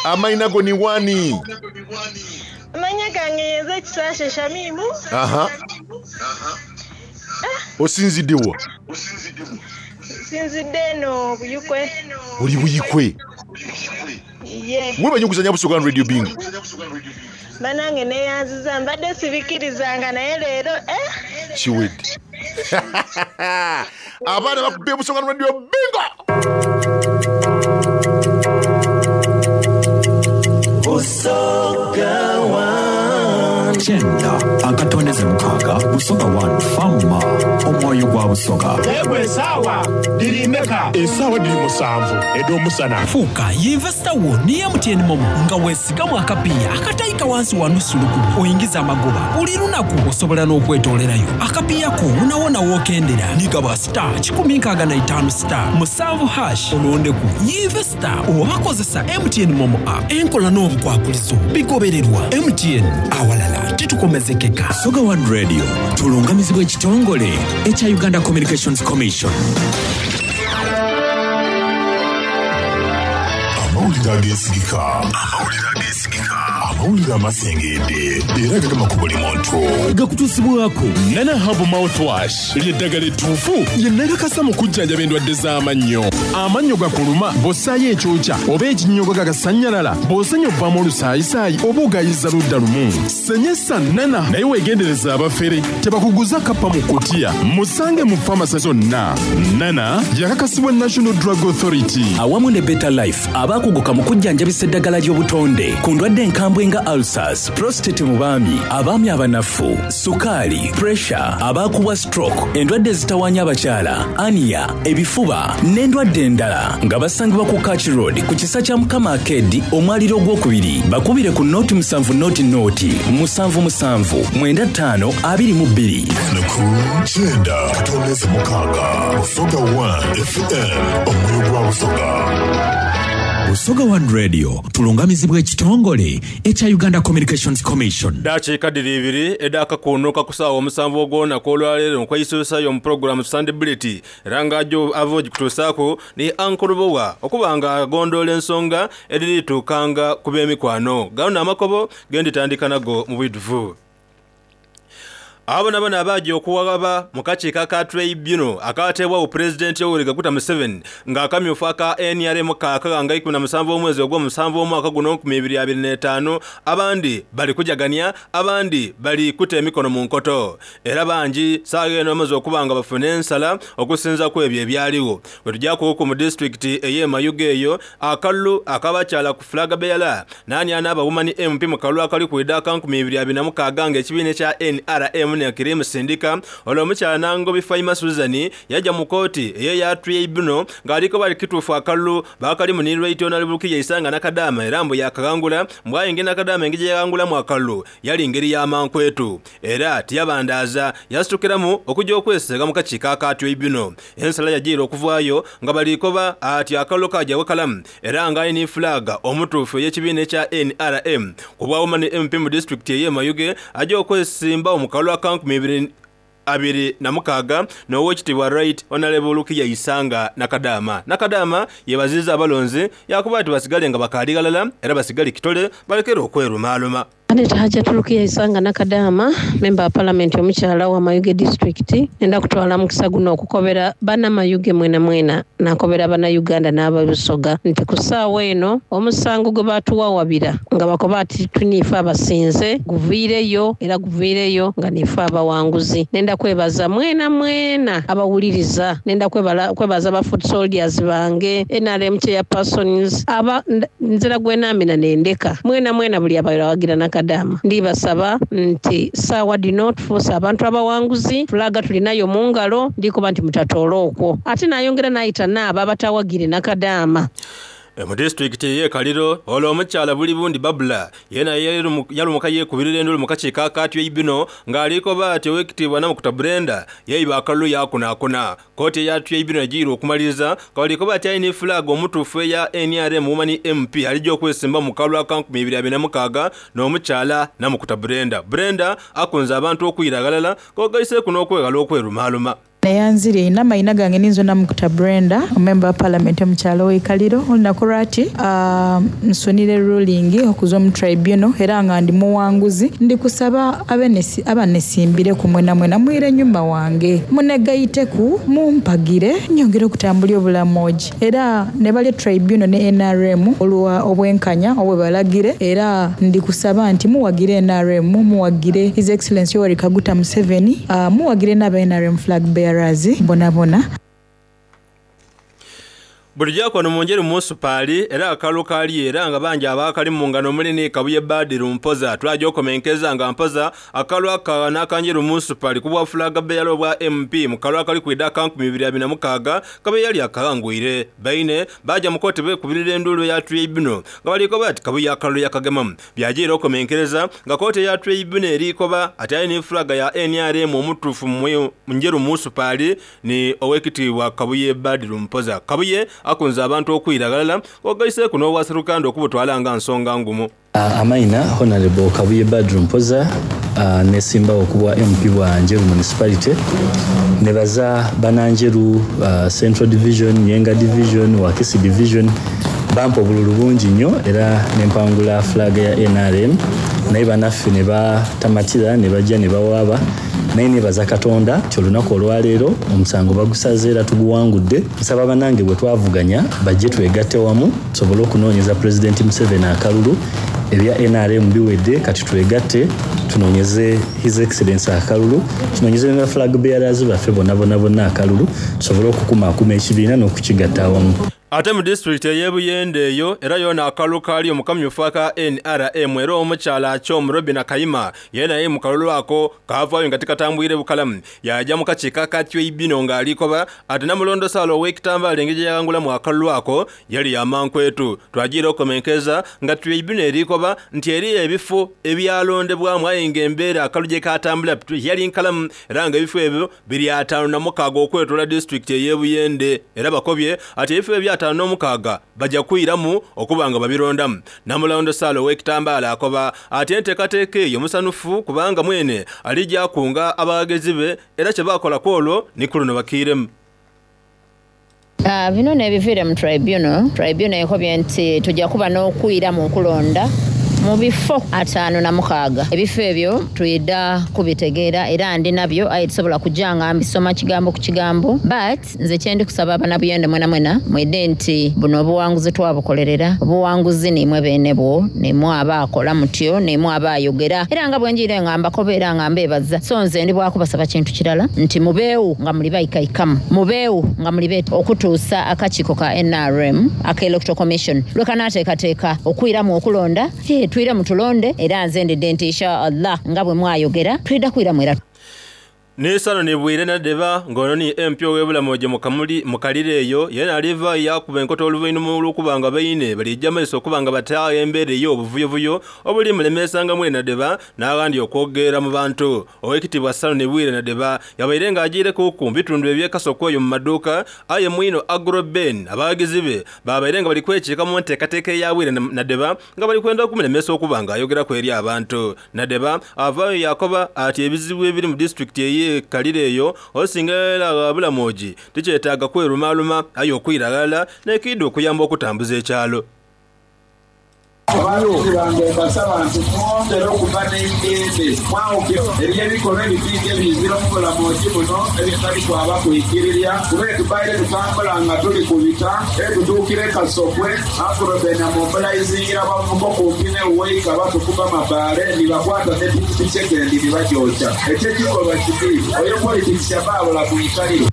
Amaina go ni wani? Amanya gange yenze Kisaashe Shamimu. Aha. Osinzidde wa? Nsinzidde eno Buyikwe. Oli Buyikwe? Ye. Webale nyo okuzanya Busoga One Radio Bingo. Banange neyanziza mbadde sibikirizanga naye leero eh. Kiwedde. Abaana bakubye Busoga One Radio Bingo. Busoga One. Kyenda akatondeze mukaaga Busoga One Fama omwoyo gwa Busoga. Yegwe esaawa dhiri meka? Esaawa dhiri musanvu edh'omusana. Fuuka yinvesita wo ni MTN Momo nga weesigamu akapiiya akataika wansi wa nusu lukumi oingize amagoba buli lunaku. Osobola n'okwetoolerayo akapiiya ko wonawona w'okendera. Ni gaba star 165 star musanvu hash olondeku yinvesita oba kozesa MTN Momo app. Enkola n'obukwakulizo bigobererwa. MTN awalala titukomezekeka. Busoga One Radio tulungamizibwa ekitongole ekya Uganda Communications Commission. Amawulire ageesigika. Amawulire amasengedde era agagema ku buli muntu. Gakutuusibwako Nana Herbal Mouthwash ly'eddagala ettuufu lye nakakasa mu kujjanjaba endwadde z'amannyo. Amannyo gakuluma bw'ossaayo ekyokya oba ekinnyogoga gagasannyalala, bw'osenya ovaamu olusaayisaayi oba ogayiza ludda lumu. Senyesa Nana naye weegendereze abafere tebakuguza kappa mu kkutiya. Musange mu famase zonna. Nana yakakasibwa National Drug Authority. Awamu ne Better Life abaakuguka mu kujjanjabisa eddagala ly'obutonde ku ndwadde enkambwe nga ulcers, prostate mu baami, abaami abanafu, sukaali, pressure, abaakubwa stroke, endwadde ezitawaanya abakyala, ania, ebifuba n'endwadde endala nga basangibwa ku Kach Road ku kisa kya Mukama Arcade omwaliro ogwokubiri. Bakubire ku nooti musanvu nooti nooti musanvu musanvu mwenda ttaano abiri mu bbiri. Ku kyenda katondeze mukaaga Busoga 1 FM omwoyo gwa Busoga. Busoga One Radio tulungamizibwa ekitongole ekya Uganda Communications Commission. Dakiika dhiri ibiri edh'akakuunuka ku saawa omusanvu ogw'olunaku olwaleero nkweisuusayo mu pulogulaamu Sunday Bullet era nga aja ava ogikutuusaaku ni Uncle Lubowa okuba nga agondoola ensonga edhiri tuukanga ku b'emikwano. Gano n'amakobo ge nditandika nago mu bwidhuvu. Abo boonaboona abaaja okuwaghaba mu kakiiko aka Tribunal akaateebwagho Pulezidenti Yoweri Kaguta Museveni nga akamyufu aka nrm kaakagha nga 17 omwezi ogw'omusanvu omwaka guno 2025, abandi bali kujagania, abandi bali kuta emikono mu nkoto era bangi saagha eno bamaze okuba nga bafuna ensala okusinza kwebyo ebyaligho. Bwetugyakuuku mu disitulikiti ey'e Mayuge eyo, akalulu ak'abakyala ku Flag Bearer Naani anaaba Woman MP mu kalulu akali kwidha aka 2026 nga ekibiina ekya nrm nekiri musindika? Olwo omukyala Nangobi Faima Susan yaja mu kooti eya Tribunal nga ali koba kituufu akalulu baakalimu ni Right Honourable Rukia Isanga Nakadaama era mbu yaakaghangula mbu aye engeri Nakadaama engeri gyeyaghangulamu akalulu yali ngeri ya mankwetu era tiyabandaaza yasitukiramu okuja okweseega mu kakiiko aka Tribunal. Ensala yajiira okuvaayo nga bali koba ati akalulu kaja bukalamu era nga ali ni fulaaga omutuufu ey'ekibiina ekya nrm ku bwa Woman MP mu disitulikiti ey'e Mayuge aja okwesimbawo mu kalulu aka 2026 n'Owekitiibwa Right Honourable Lukiya Isanga Nakadaama. Nakadaama yebaziiza abalonzi yaakoba ati basigale nga bakaali ghalala era basigale kitole balekere okwerumaaluma. Annet Hajjat Rukia Isanga Nakadaama, memba wa palamenti omukyala owa Mayuge disitulikiti, nenda kutwala mukisa guno okukobera bana Mayuge mwenamwena nakobera bana Uganda n'abe Busoga nti ku saawa eno omusango gwe batuwawabira nga bakoba ati tuniife abasinze guviireyo era guviireyo nga niife abawanguzi. Nenda kwebaza mwenamwena abawuliriza, nenda kwebaza ba foot soldiers bange, nrm chairpersons, aba nzira gwenamina nendeka mwenamwena buli abawagira Nakadaama. Ndibasaba nti saawa dhino tufuuse abantu abawanguzi, fulaga tulinayo mu ngalo, ndikoba nti mutatoola okwo. Ate nayongera nayita n'abo abatawagire Nakadaama. Mu disitulikiti ey'e Kaliro, olwo omukyala Bulibundi Babula yeena yalumuka yeekubirira endulu mu kakiiko aka Tribunal ng'ali koba ati Owekitiibwa Namukuta Brenda yaiba akalulu yaakunaakuna. Kkooti eya Tribunal ejiire okumaliriza nga bali koba ati aye ni fulaaga omutuufu eya nrm Woman MP alija okwesimba mu kalulu aka 2026 n'omukyala Namukuta Brenda. Brenda akunze abantu okwira aghalala k'ogaiseeku n'okweghala okwerumaaluma. Neyanzire inho amaina gange ninze Namukuta Brenda, omumemba wa palamenti omukyalo oweikaliro. Olunaku lwati nsunire ruling okuza omu tribunal era nga ndi muwanguzi. Ndi kusaba abanesimbireku mwenamwena mwire enyuma wange munegaiteku mumpagire nyongere okutambulya obulamu ogi. Era nebali tribunal ne NRM olwa obwenkanya obwebalagire, era ndi kusaba nti muwagire NRM, muwagire His Excellency Yoweri Kaguta Museveni, muwagire n'aba NRM flag bearers bonabona. Bulijo akono mu Njeru Munsupaali era akalulu kaaliyo era nga bangi abaakalimu nga n'omuli ni Kabuye Badiru Mpoza. Twaja okomenkeza nga Mpoza akalulu aka n'aka Njeru Munsupaali ku bwa fulaga beyala obwa MP mu kalulu akali kwidha aka 2026 Kabuye yali akaghangwire. Baine baaja mu kooti beekubirira enduulu eya Tribunal nga bali koba ati Kabuye akalulu yakagemamu. Byajiira okomenkereza nga kooti eya Tribunal eri koba ati ali ni fulaga ya nrm omutuufu mu Njeru Munsupaali ni Owekitiibwa Kabuye Badru Mpoza. Kabuye akunze abantu okwira ghalala ng'ogaiseeku n'obwaserukanda okubutwala nga nsonga ngumu. Amaina, Honarebo Kabuye Badru Mpoza, nesimbawo kubwa MP bwa Njeru Municipality. Nebaza bana Njeru Central Division, Nyenga Division, Wakisi Division bampa obululu bungi nnyo era nempangula flag ya nrm naye banaffe nebatamatira nebajja nebawaaba. Naye nebaza Katonda nti olunaku olwaleero omusango bagusaze era tuguwangudde. Nsaba banange bwetwavuganya bajje twegatte wamu tusobole okunoonyeza Pulezidenti Museveni akalulu. Ebya nrm biwedde kati twegatte tunoonyeze His Excellency akalulu, tunoonyeze ne ba flag bearers baffe bonna bonna bonna akalulu tusobole okukumaakuma ekibiina n'okukigatta awamu. Ate mu disitulikiti ey'e Buyende eyo era yoona akalulu kaaliyo mu kamyufu aka nrm era omukyala Achom Robina Kayima yeena aye mu kalulu ako kaavaayo nga tikatambwire bukalamu yaaja mu kakiiko aka Tribunal nga ali koba ati Namulondo Sarah ow'ekitambaala engeri gye yaghangulamu akalulu ako yali ya mankwetu. Twajiira okomenkeza nga Tribunal eri koba nti eriyo ebifo ebyalondebwamu aye nga embeera akalulu gye kaatambula tiyali nkalamu era nga ebifo ebyo biri 56 okwetoola disitulikiti ey'e Buyende era bakobye ati ebifo ebyo 56 baja kwiramu okuba nga babirondamu. Namulondo Sarah ow'ekitambaala akoba ati enteekateeka eyo musanhufu kubanga mwene alija akunga abaghagezi be era kye baakola kwolwo ni ku luno bakiiremu. Bino n'ebiviire mu Tribunal. Tribunal ekobye nti tuja kuba n'okwiramu okulonda mu bifo 56. Ebifo ebyo twidha kubitegeera era ndi nabyo aye tisobola kuja nga mbisoma kigambo ku kigambo. But nze kyendi kusaba abanabuyende mwenamwena mwidhe nti buno obuwanguzi twabukolerera. Obuwanguzi niimwe beene bwo, niimwe abaakola mutyo, niimwe abaayogera. Era nga bwenjiire nga mbakoba era nga mbeebaza. So nze ndi bwa kubasaba kintu kirala nti mubeewo nga muli baikaikamu, mubeewo nga muli beete okutuusa akakiiko ka nrm aka Electoral Commission lwe kanaateekateeka okwiramu okulonda. Twiremu tulonde era nze ndidhe nti Insha Allah nga bwe mwayogera twidha kwiramu era. N'eisanhu ni Bwire Nadeba nga ono ni MP ow'e Bulamoje mu Kamuli mu Kaliro eyo yeena alivaayo yaakuba enkota oluvainhuma olw'okuba nga baine balija maiso okuba nga bataagho embeera ey'obuvuyovuyo obuli mulemeesanga Mwire Nadeba n'aghandi okwogerera mu bantu. Owekitiibwa Saloni Bwire Nadeba yabaire nga ajiirekuku mu bitundu eby'e Kasokwa eyo mu maduuka aye mwino Agro Ben abaghagizi be babaire nga bali kwekiika mu nteekateeka eya Bwire Nadeba nga bali kwenda okumulemesa okuba nga ayogeraku eri abantu. Nadeba avaayo yaakoba ati ebizibu ebiri mu disitulikiti ey'e Kaliro eyo osinga era gha Bulamogi tikyetaaga kwerumaaluma aye okwira ghalala n'ekiidha okuyamba okutambuza ekyalo. Abaluzi bange mbasaba nti mwongere okuba n'eidembe, mwawuke eri ebikolwa ebibi ebiizira omu bulamoji buno ebitali kwaba kwikirirya, kuba etubaire tutambula nga tuli kubita etutuukira e Kasokwe, Afroben amobilaizingira abavubuka okumpi ne Uweika batukuba amabaale ni bakwata ne pikipiki edhendi ni bagyokya. Ekyo ekikolwa kibi. Oyo politikisi aba abula ku ikaliro.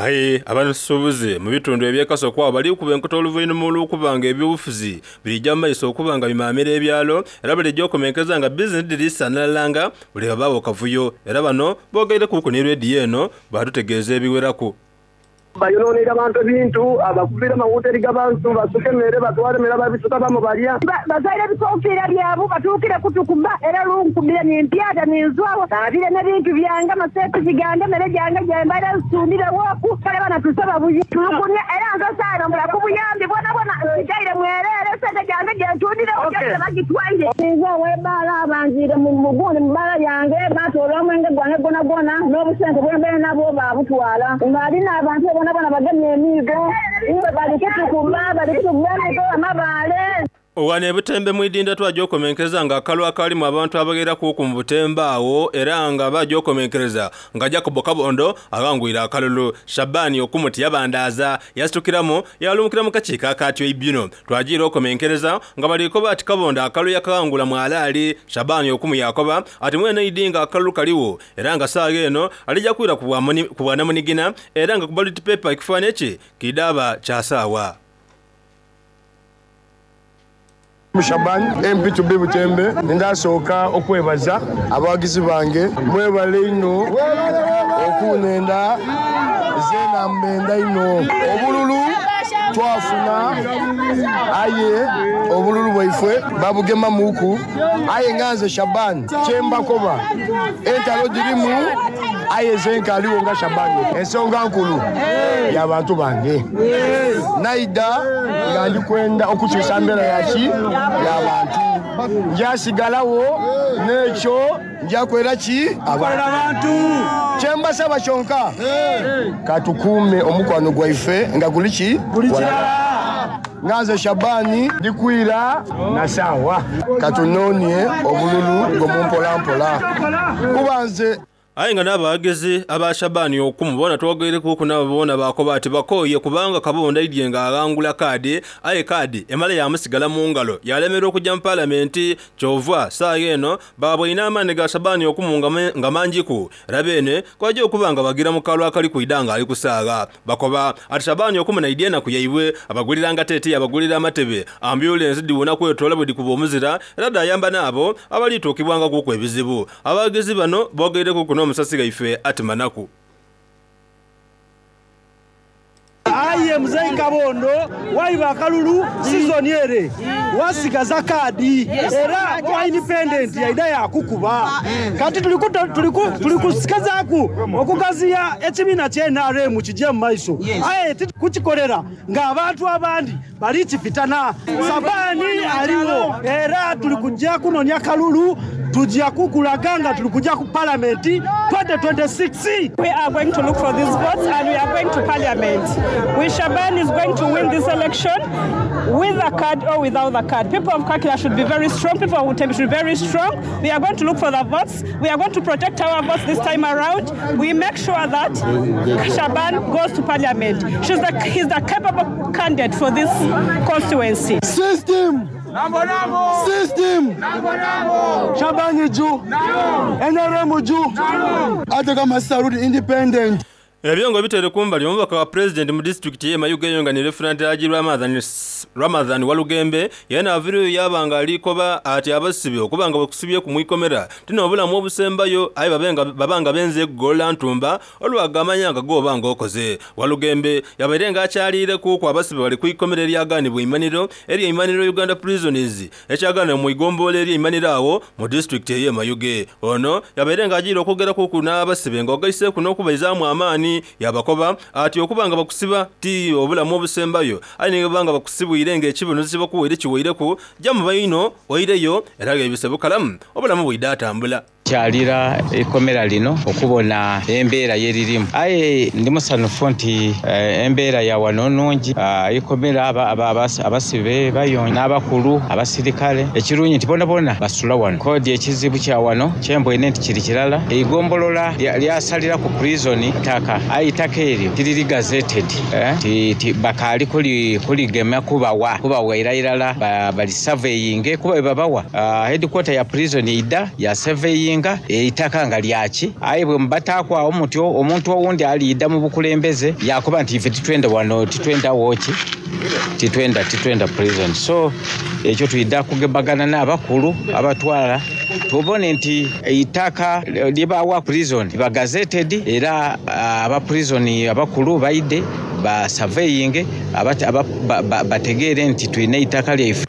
Aye abasuubuzi mu bitundu eby'e Kasokwa agho bali kuba enkota oluvainhuma olw'okuba nga eby'obufuzi birija mu maiso okuba nga bimaamira ebyalo era balija okomenkeza nga bizinesi dhiri sanhalala nga buli ghabaagho kavuyo era bano boogeireku ni leediyo eno baatutegeeza ebiweraku. Bayononeire abantu ebintu, abakubira amawoteri g'abantu, basuka emere, batwala emere ababisuka baamu balya. Batoire ebikofiira byabu batuukire kutukuba, era olunkubire ni mpyata ni nzwagho. Naabire n'ebintu byange, amaseepiki gange, emere gyange gye mbaire nsundireghooku. Kale bana tusaba buyambi. Tulugunia era nze saayongera ku buyambi bwonabwona. Nsigaire mwereere. N'emisente gyange gye ntundiregho gyona bagitwaire. Nze ow'ebbaala banjiire mu gundi mu bbaala yange, baatoola omwenge gwange gwonagwona, n'obusente bwe mbaire nabwo baabutwala. Ng'ali n'abantu be boonaboona bagemye emiigo, iwe bali kutukuba, bali kutukuba emiigo, amabaale. Ghano e Butembe mu idinda twaja okomenkereza nga akalulu akaalimu abantu abagherakuku mu Butembe agho era nga baja okomenkereza nga Jacob Kabondo aghangwire akalulu. Shaban Okumu tiyabandaaza yasitukiramu yaalumukira mu kakiiko aka Tribunal. Twajiira okomenkereza nga bali koba ati Kabondo akalulu yakaghangula mwalaali. Shaban Okumu yaakoba ati mwene aidhi nga akalulu kaligho era nga saagha eno alija kwira ku bwanamunigina era nga ku ballot paper ekifanhie kye kiidhaaba kya saawa. Shaban, MP to be Butembe, Ndasooka okwebaza abawagizi bange, mwebale inho okunenda zeena mbenda inho. Obululu twafuna aye obululu bwaifwe babugemamuuku aye nga nze Shaban kyembakoba entalo dhirimu aye nze nkaligho nga Shaban. Ensonga nkulu ya bantu bange. Naidha nga ndi kwenda okukyusa mbeera ya ki? Ya bantu. Nja sigalagho n'ekyo nja kwera ki? Abantu. Kye mbasaba kyonka, ka tukuume omukwano gwaife nga guli ki? Walala. Nga nze Shabani ndi kwira na saawa. Ka tunoonie obululu bwo mu mpolampola kuba nze. Aye nga n'abaghagizi aba Shabani Okumu boona twogeireku nabo boona baakoba ati bakooye kubanga Kabondo aidhye nga aghangula kaadi aye kaadi emala yaamusigala mu ngalo yaalemererwa okuja mu Palamenti kyova saagha eno baabweine amaani ga Shabani Okumu nga mangiku era beene kwaja okuba nga bagira mu kalwa akali kwidha nga ali kusaagha. Bakoba ati Shabani Okumu naidhi enaku yaibwe abaguliranga teteeyi abagulira amatebe, ambyulensi dhiwona kwetoola bwedhikuba omuzira era dhaayamba n'abo abalituukibwangakuku ebizibu. Abaghagizi bano boogeireku n'omusasi ghaife ati Manaku. Aye Muzei Kabondo waiba akalulu sizoni ere wasigaza kaadi era owa independent yaidha yakukuba. Kati tuli kugezaku okugaziya ekibiina kya nrm kije mu maiso aye titukukikolera nga abantu abandi bali kifitana. Sabani aligho era tuli kuja kunonia kalulu, tuja kukulaga nga tuli kuja ku palamenti 2026. We are going to look for these votes and we are going to parliament. We Shaban is going to win this election with a card or without the card. People of Kakira should be very strong. People of Butembe should be very strong. We are going to look for the votes. We are going to protect our votes this time around. We make sure that Shaban goes to parliament. He's the capable candidate for this constituency. System! System! Shabani juu! NRM juu! Hata kama sitarudi independent. Ebyo nga obitaire kumbali, omubaka wa Pulezidenti mu disitulikiti ye Mayuge eyo nga ni Lefutananti Haji Ramadhan Walugembe yeena aviireyo yaaba nga ali koba ati abasibe okuba nga bakusibyeku mu ikomera ti n'obulamu obusembayo aye babe nga baba nga benze kugolola ntumba olwagamanya nga gwoba nga okoze. Walugembe yabaire nga akyaliireku ku abasibe bali ku ikomera eryagaanibwa eimanhiro erye Imanhiro Uganda Prisons ekyagaanibwa mu igombolola erye Imanhiro agho mu disitulikiti eye Mayuge. Ono yabaire nga ajiire okwogerakuku n'abasibe nga ogaiseku n'okubaizaamu amaani yaabakoba ati okuba nga bakusiba ti obulamu obusembayo aye ni bwebaba nga bakusibwire nga ekibonerezo kyebakuwaire kiweireku ja mu baino oireyo era ghaibise bukalamu obulamu bwidha tambula. Kyalira eikomera lino okubona embeera yeririmu. Aye ndi musanhufu nti embeera ya wano nungi. Eikomera abasibe bayonjo n'abakulu, abasirikale. Ekirungi nti bonabona basula wano. Kodi ekizibu kya wano kyembweine nti kiri kirala, eigombolola lyasalira ku prison ttaka aye eitaka eryo tiriri gazetted. Bakaali kuligema kubawa kubawaira irala bali surveyinge kuba bwebabawa headquarter ya prison eidha ya surveyinga eitaka nga lyaki. Aye bwemubataaku agho mutyo, omuntu owundi aliidha mu bukulembeze yaakoba nti ife titwenda wano, titwenda woki, titwenda, titwenda prison. So ekyo twidha kugebagana n'abakulu abatwala tubone nti eitaka lyebawa prison liba gazetted era aba prison abakulu baidhe ba surveyinge bategeere nti tulina eitaka lyaife.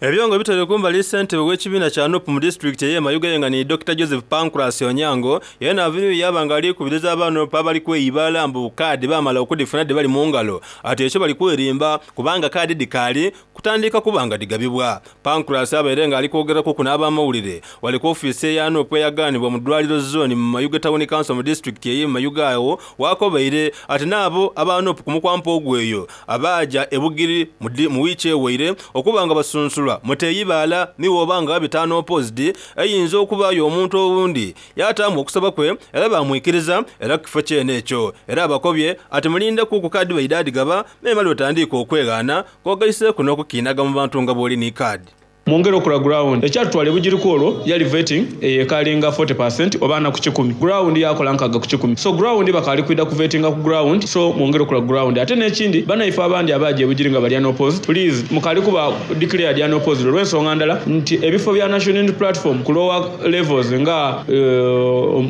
Ebyo nga bitwere kumbali ssentebe w'ekibiina kya NUP mu disitulikiti ey'e Mayuge nga ni Dr. Joseph Pancras Onyango yena aviireyo yaaba nga ali kubiriza aba NUP abali kweyibaala mbu kaadi baamala okudhifuna dhibali mu ngalo ati ekyo bali kwerimba kubanga kaadi dhikaali kutandika kuba nga dhigabibwa. Pancras abaire nga ali kwogerakuku n'abamawulire ghale ku ofiisi eya NUP eyagaanibwa mu Ddwaliro Zooni mu Mayuge Town Council mu disitulikiti ey'e Mayuge agho w'akobeire ati n'abo aba NUP ku mukwampa ogw'eyo Abaaja e Bugiri mu wiiki ewaire okuba nga basunsulwa mu Teyibaala ni bw'oba nga ghabita unopposed eyinza okubaayo omuntu owundi yaataamu okusaba kwe era baamwikiriza era ku kifo kyene ekyo. Era abakobye ati mulindeku ku kaadi baidha dhigaba memale otandiike okweghaana kw'ogaiseeku n'okukiinaga mu bantu nga bw'oli ni kaadi. Mwongere okola ground. Ekyatutwala e Bugiri kwolwo yali vetting eyo ekaalinga 40% oba ana ku kikumi. Ground yakola nkaga ku kikumi. So ground bakaali kwidha kuvetinga ku ground so mwongere okola ground. Ate n'ekindi banaife abandi abaaja e Bugiri nga bali unopposed please mukaali kuba declared unopposed olw'ensonga ndala nti ebifo bya National Unity Platform ku lower levels nga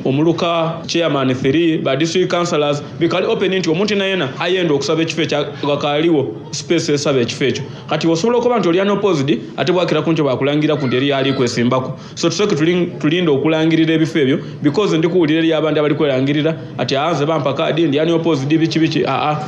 omuluka, chairman three, ba district councillors bikaali open nti omuntu yenayena ayenda okusaba ekifo ekyo ghakaaligho space esaba ekifo ekyo. Kati osobola okuba nti oli unopposed ate bwakira kunkyo bakulangiriraku nti eriyo ali kwesimbaku. So tusooke tulinde okulangirira ebifo ebyo because ndi kuwulira eriyo abandi abali kwelangirira ati aa nze bampa kaadi ndi unopposed biki biki aa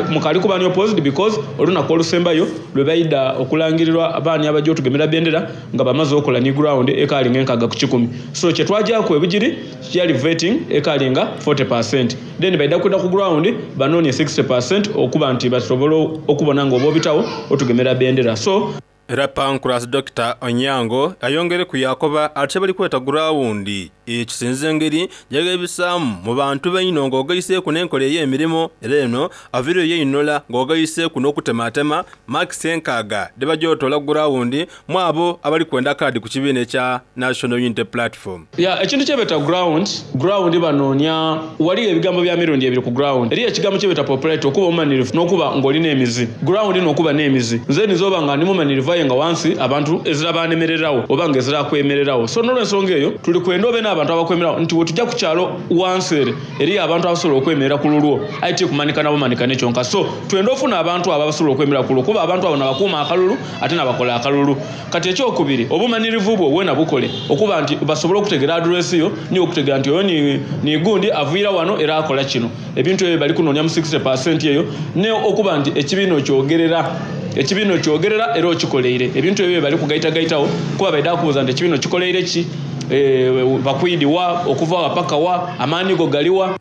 mukali kuba unopposed because olunaku olusembayo lwebaidha okulangirirwa baani abaja otugemera bendera nga bamaze okola ni ground ekaali nga enkaaga ku kikumi. So kyetwajaku e Bugiri yali vetting ekaali nga 40%. Then baidha kwidha ku ground banoonie 60% okuba nti basobola okubona nga oba obitawo otugemera bendera so. Era Pancras Dokita Onyango ayongereku yaakoba ati kyebali kweta gurawundi kisinziira engeri gyegheebisaamu mu bantu baino nga ogaiseeku n'enkola ey'emirimo era eno aviireyo yeinola nga ogaiseeku n'okutematema maakisi enkaaga dhebaja otoola ku gurawundi mwabo abali kwenda kaadi ku kibiina ekya National Unity Platform. Ya ekintu kyebeta ground, ground banonia ghaligho ebigambo bya mirundi ebiri ku ground. Eriyo ekigambo kyebeta popularity okuba omumanirivu nokuba nga oli nemizi. Ground nokuba nemizi. Nze ndhiza oba nga ndi mumanirivu aye nga wansi abantu ezira banemereragho oba nga ezira akwemereragho. So nolwensonga eyo tuli kwenda obe nabantu abakwemeragho nti bwetugya ku kyalo wansi ere eriyo abantu abasobola okwemerera ku lulwo aye ti kumanikana bumanikane kyonka. So twenda ofuna abantu abo abasobola okwemerera ku lulwo kuba abantu abo nabakuuma akalulu ate nabakola akalulu. Kati ekyokubiri, obumanirivu bwo weena bukole okuba nti basobole okutegeera address yo ni okutegeera nti oyo ni, ni gundi aviira wano era akola kino. Ebintu ebyo bali kunoonia mu 60 per cent eyo ne okuba nti ekibiina okyogerera. Ekibiina okyogerera era okikoleire. Ebintu ebyo bye bali kugaitagaitagho kuba baidha kubuuza nti ekibiina okikoleire ki? E, bakwidhi wa? Okuva wa paka wa? Amaani go gali wa?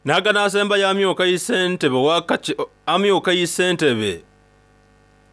N'aganaasembayo amyuka Ssentebe wa amyuka Ssentebe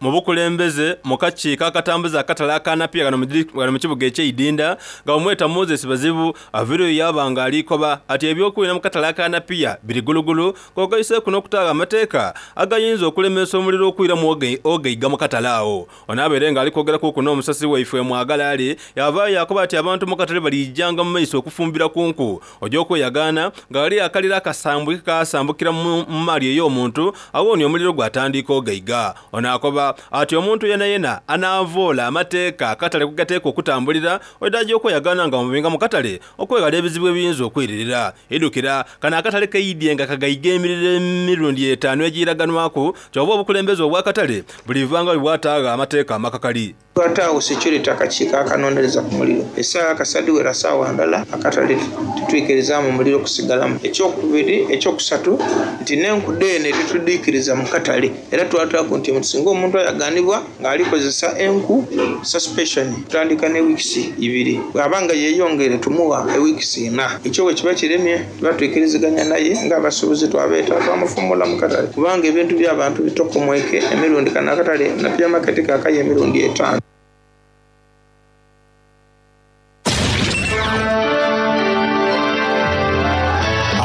mu bukulembeze mu kakiiko akatambuza akatale aka Napier ghano mu kibuga ekye Idinda nga bamweta Moses Bazibu aviireyo yaaba nga ali koba ati ebyokwinha mu katale aka Napier biri gulugulu ng'ogaiseeku n'okutaagho amateeka agayinza okulemesa omuliro okwiramu ogaiga mu katale agho. Ono abaire nga ali kwogerakuku n'omusasi waife Mwagala Ali yavaayo yaakoba ati abantu mu katale baliijanga mu maiso okufumbira ku nku Oja okweyagaana nga ghaliyo akaliro akasambwike kaasambukira mu maali ey'omuntu, agho ni omuliro gwatandiika ogaiga. Ono akoba ati omuntu yenayena anaavoola amateeka akatale kwe gateekwa okutambulira, oidha aja okweyagaana nga bamubinga mu katale okweghala ebizibu ebiyinza okwiririra. Idhukira, kano akatale kaidhye nga kagaiga emiriro emirundi etaanu egiiraganwaku, kyova obukulembeze obw'akatale buliva nga bwe bwataagho amateeka amakakali. Twataagho security akakiiko akanonereza ku muliro. Esaawa kasita dhiwera saawa ndala akatale titwikirizaamu muliro kusigalamu. Ekyokubiri, ekyokusatu nti n'enku dheene titudhiikiriza mu katale era twataaku nti singa omuntu ayaganibwa nga ali kozesa enku, suspension tutandika ne wiikisi ibiri bwaba nga yeyongeire tumugha ewiikisi ina. Ekyo bwekiba kiremye tuba twikiriziganya naye nga abasuubuzi twabeeta twamufumula mu katale kubanga ebintu by'abantu bitokomweke emirundi kano akatale Napier Market kaakayo emirundi etaanu.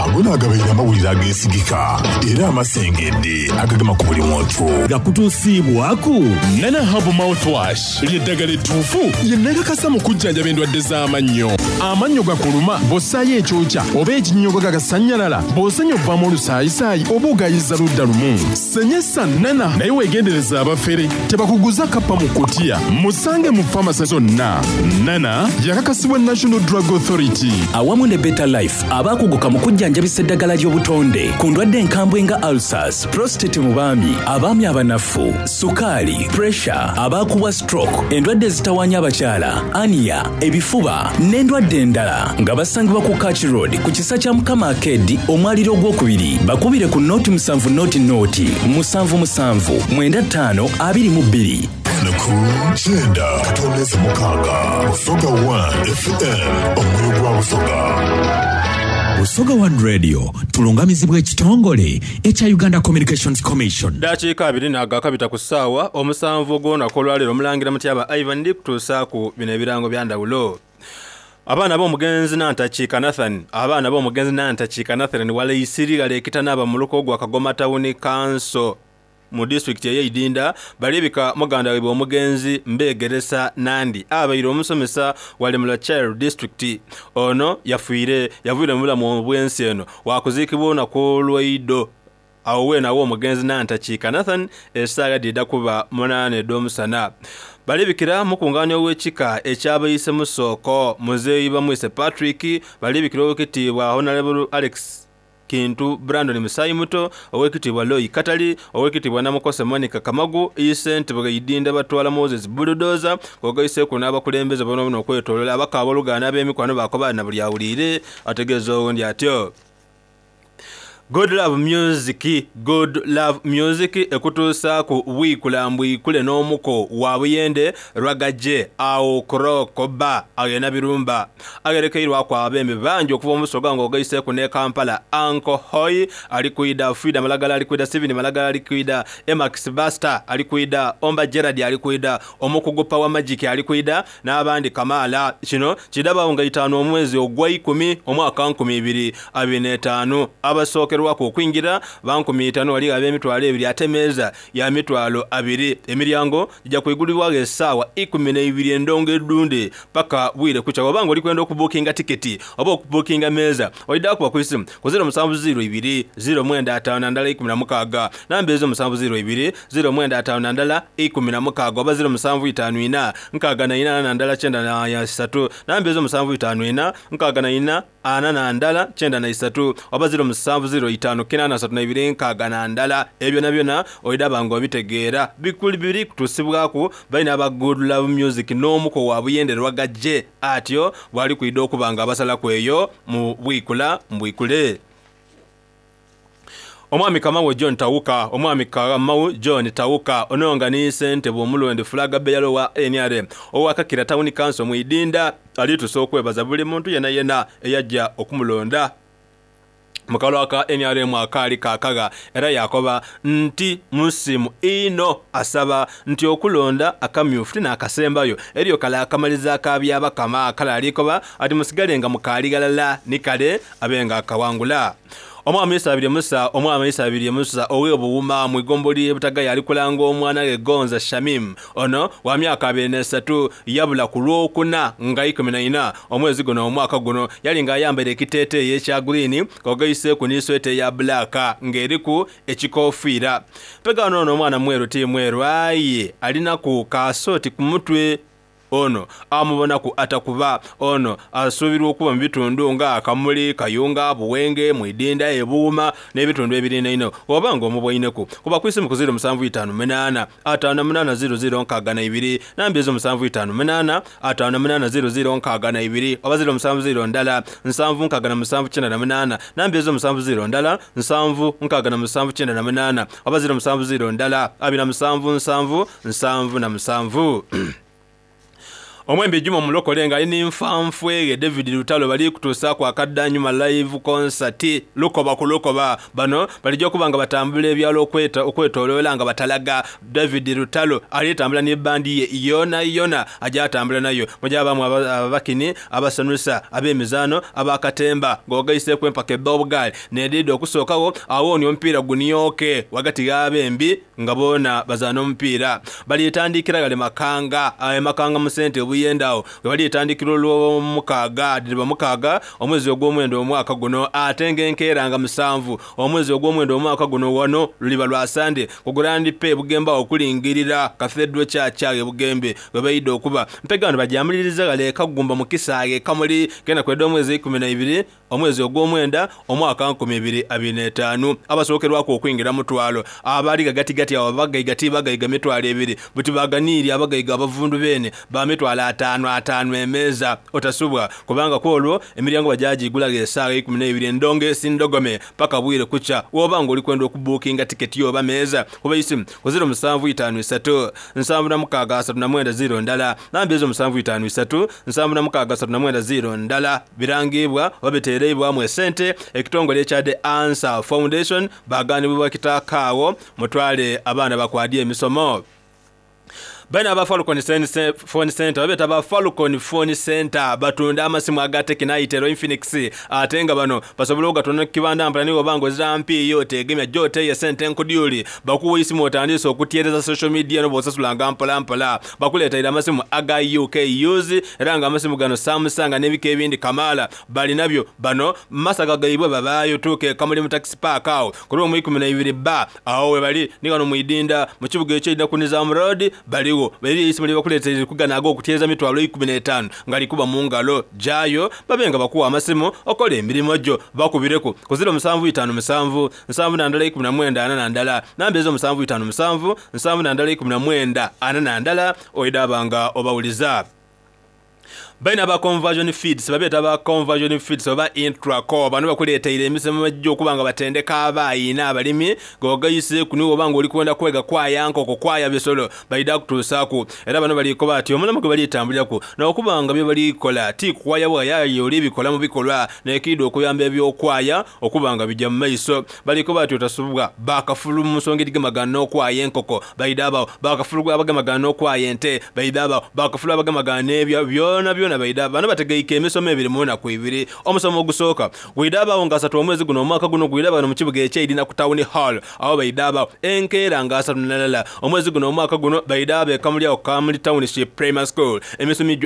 Ago naagabaire amawulire ageesigika era amasengedde agagema ku buli muntu. Gakutuusiibwaku Nana Herbal Mouthwash. Lye ddagala ettuufu lye nnakakasa mu kujjanjaba endwadde z'amannyo. Amannyo gakuluma bw'ossaayo ekyokya oba ekinnyogoga kasannyalala, bw'osenya ovaamu olusaayisaayi oba ogaayiza ludda lumu. Senyesa Nana naye weegendereze abafere tebakuguza kappa mu kkutiya. Musange mu famase zonna. Nana yakakasibwa National Drug Authority. Awamu ne Better Life abaakuguka mu kujjanjabisa. kujjanjabisa eddagala ly'obutonde ku ndwadde enkambwe nga ulcers, prostate mu baami, abaami abanafu, sukaali, pressure, abaakubwa stroke, endwadde ezitawaanya abakyala, ania, ebifuba n'endwadde endala nga basangibwa ku Kach Road ku kisa kya Mukama Arcade omwaliro ogwokubiri. Bakubire ku noti 7 noti noti 7 7 95 22. Ku 96 Busoga 1 FM omwoyo gwa Busoga. Busoga One Radio tulungamizibwa ekitongole ekya Uganda Communications Commission. Dakiika abiri naagakabita ku ssaawa omusanvu ogw'olunaku olwaleero Omulangira Mutyaba Ivan ndi kutuusaaku bino ebirango bya ndhawulo. Abaana b'omugenzi Nantakiika Nathan Abaana b'omugenzi Nantakiika Nathan Walaisiri ghale ekitanaba mu luko gwa Kagoma Tawuni Kanso mu disitulikiti ey'e Idinda balibika muganda waibwe omugenzi Mbegeresa Nandi abaire omusomesa wale mu Lacel disitulikiti. Ono yafiire yaviire mu bulamu obw'ensi eno wakuziikibwa olunaku olw'eidho agho weene agho omugenzi Nantakiika Nathan esaagha dhidha kuba munaana edh'omusana. Balibikira mukungaania ow'ekika eky'abaise Musooko Muzeeyi Bamwise Patrick, balibikira ow'ekitiibwa Honourable Alex Kintu Brandon Musaayimuto, Owekitiibwa Loy Katali, Owekitiibwa Namukose Monica Kamagu, Ssentebe Ghaidinda Batwala Moses Bulldozer, ng'ogaiseeku n'abakulembeze boonaboona okwetooloola abaka abooluganda n'ab'emikwano baakoba na buli awuliire ategeeza owundi atyo. Good Love Music Good Love Music ekutuusaaku bwikula mbwikule n'omuko wa Buyende Rwagaje agho Croco Bar agho e Nabirumba. Agherekeirwaku abembi bangi okuva mu Busoga ng'ogaiseeku n'e Kampala, Uncle Hoi ali kwidha, Frida Malagala ali kwidha, Steven Malagala ali kwidha, Emax Buster ali kwidha, Omba Gerald ali kwidha, Omukugu Power Magic ali kwidha n'abandi kamaala. Kino kidhabaagho nga itaanu omwezi ogweikumi omwaka 2025. Abasookerwaku okwingira ba 5000 ghaligho ab'emitwalo ebiri ate meeza ya mitwalo abiri. Emiryango gija kwigulibwagho esaawa ikumi n'eibiri endongo edhundhe paka bwire kukya. Bw'oba nga oli kwenda okubuukinga tiketi oba okubuukinga meeza, oidha kuba ku isimu ku 0702 095 16. Namba ezo 702 095 16 oba 0754 64 43. Namba ezo 754 64 41 93 oba 0705 832 61. Ebyo byonabyona oidha ba nga obitegeera. Bikuli biri kutuusibwaku baine aba Good Love Music n'omuko wa Buyende Rwagajje atyo bw'ali kwidha okuba nga abasalaku eyo mu bwikula mbwikule. Omwami Kamau John Tawuka Omwami Kamau John Tawuka ono nga ni ssentebe omulonde flag bearer owa nrm owa Kakira Town Council mu Idinda alitusa okwebaza buli muntu yenayena eyaja okumulonda mu kalulu aka nrm akaali kakagha era yaakoba nti musiimu inho asaba nti okulonda akamyufu ti naakasembayo eriyo kale akamaliza aka Byabakama kale alikoba ati musigale nga mukaali ghalala ni kale abe nga akawangula. Omwami Isabirye Musa Omwami Isabirye Musa ow'e Buwuma mu igombolola ly'e Butagaya ali kulanga omwana ghe Gonza Shamim. Ono wa myaka 23 yabula ku Lwokuna nga 14 omwezi guno omwaka guno. Yali nga ayambaire ekiteeteeyi ekya guliini ng'ogaiseeku ni sweta eya bbulaaka ng'eriku ekikoofiira. Mpegaano ono omwana mweru ti mweru aye alinaku ka sooti ku mutwe. Ono amubonaku atakuba. Ono asuubirwa okuba mu bitundu nga Kamuli, Kayunga, Buwenge, Mwidinda, e Buwuma n'ebitundu ebiriinainegho. Bw'oba nga omubweineku, kuba ku isimu ku 0758 58 00 62, namba ezo 758 58 00 62 oba 070 ndala 767 98, namba ezo 70 ndala 767 98 oba 070 ndala 27 7 77. Omwembi Juma Omulokole nga ali ni nfanfwe ghe David Lutalo bali kutuusaaku akadhanyuma Live Concert Lukoba ku Lukoba. Bano balija okuba nga batambula ebyalo okwetoloola nga batalaga. David Lutalo ali tambula ni bandi ye yonayona aja atambula nayo. Muja baamu abakini, abasanusa, ab'emizaano, aba katemba ng'ogaiseeku empaka edh'obugaali n'edhidha okusookagho. Agho ni omupiira gunioke ghagati gh'abembi nga boona bazaana omupiira. Bali tandikira ghale Makanga, e Makanga mu sente. Buyende agho ghebalitandikira Olwomukaaga dhiriba mukaaga omwezi ogwomwenda omwaka guno ate nga enkeera nga musanvu omwezi ogwomwenda omwaka guno ghano luliba lwa Sande ku Grand Pay e Bugembe agho okulingirira Cathedral Church agho e Bugembe ghebaidha okuba. Mpega ghano bagyamuliriza ghale e Kagumba mu kisaghe e Kamuli k'enaku edh'omwezi eikuminaibiri Omwezi ogwomwenda, omwaka 2025, abasookerwaku okwingira mutwalo, abaali ghagatigati agho abagaiga ti bagaiga mitwalo ebiri, buti baganiire abagaiga abavundu beene ba mitwalo ataanu ataanu emeeza. Otasubwa, kubanga ku olwo emiryango bajagiigulagho esaagha eikumineibiri endongeesi ndhogome paka bwire kukya. Bwoba nga oli kwenda okubuukinga tiketi oba meeza, kuba eisimu ku ziro musanvu itaanu isatu nsanvu na mukaaga asatu na mwenda ziro ndala. Namba ezo musanvu itaanu isatu nsanvu na mukaaga asatu na mwenda ziro ndala. Birangiibwa oba biteereibwamu esente ekitongole ekya The Answer Foundation baagaanibwa kitaaka agho mutwale abaana bakwadye emisomo. Baine aba Falcon Phone Centre babeeta ba Falcon Phone Centre batunda amasimu aga Tecno, Itel, Infinix ate nga bano basobola ogatunda ku kibanda mpola ni bwoba nga ozira mpiiya oteegemya gy'oteeyo esente enkudyuli bakuwa eisimu otandiise okutyereza social media eno bw'osasulanga mpola mpola. Bakuleeteire amasimu aga UK use era nga amasimu gano Samsung n'ebika ebindi kamaala balinabyo. Bano mu masaga gaibwe babaayo. Tuuka e Kamuli mu Taxi Park agho ku luumu 12 bba agho webali ni ghano mu Idinda mu kibuga eky'eidha ku Nizam Road baligho. Eriyo eisimu lyebakuleeteire liri kugana ag'okutyereza mitwalo 15 nga likuba mu ngalo. Gyayo babe nga bakuwa amasimu okole emirimo gyo. Bakubireku ku 0757 71 41. Namba ezo 757 71 41 oidha nga obawuliza. Baine aba Conversion Feeds babeeta ba Conversion Feeds oba Intraco. Bano bakuleeteire emisomo egy'okuba nga batendeka abaayi n'abalimi ng'ogaiseeku ni bw'oba nga oli kwenda kwega kwaya nkoko, kwaya bisolo baidha kutuusaaku. Era bano bali koba bati omulamu gwe bali tambuliraku n'okuba nga bye bali kola ti kwaya bwaya aye oli bikola mu bikolwa n'ekiidha okuyamba eby'okwaya okuba nga bija mu maiso. Bali koba bati otasubwa bakafulu mu nsonga edhigemagana n'okwaya enkoko, baidha bagho bakafulu abagemagana n'okwaya ente, baidha bagho bakafulu abagemagana n'ebyo byonabyona baidha. Bano bategeike emisomo ebiri mu naku ibiri. Omusomo ogusooka gwidha bagho nga asatu omwezi guno omwaka guno gwidha ghano mu kibuga eky'eidhina ku Town Hall. Agho baidha bagho enkeera nga asatu nalala omwezi guno omwaka guno baidha be Kamuli agho ku Kamuli Township Primary School.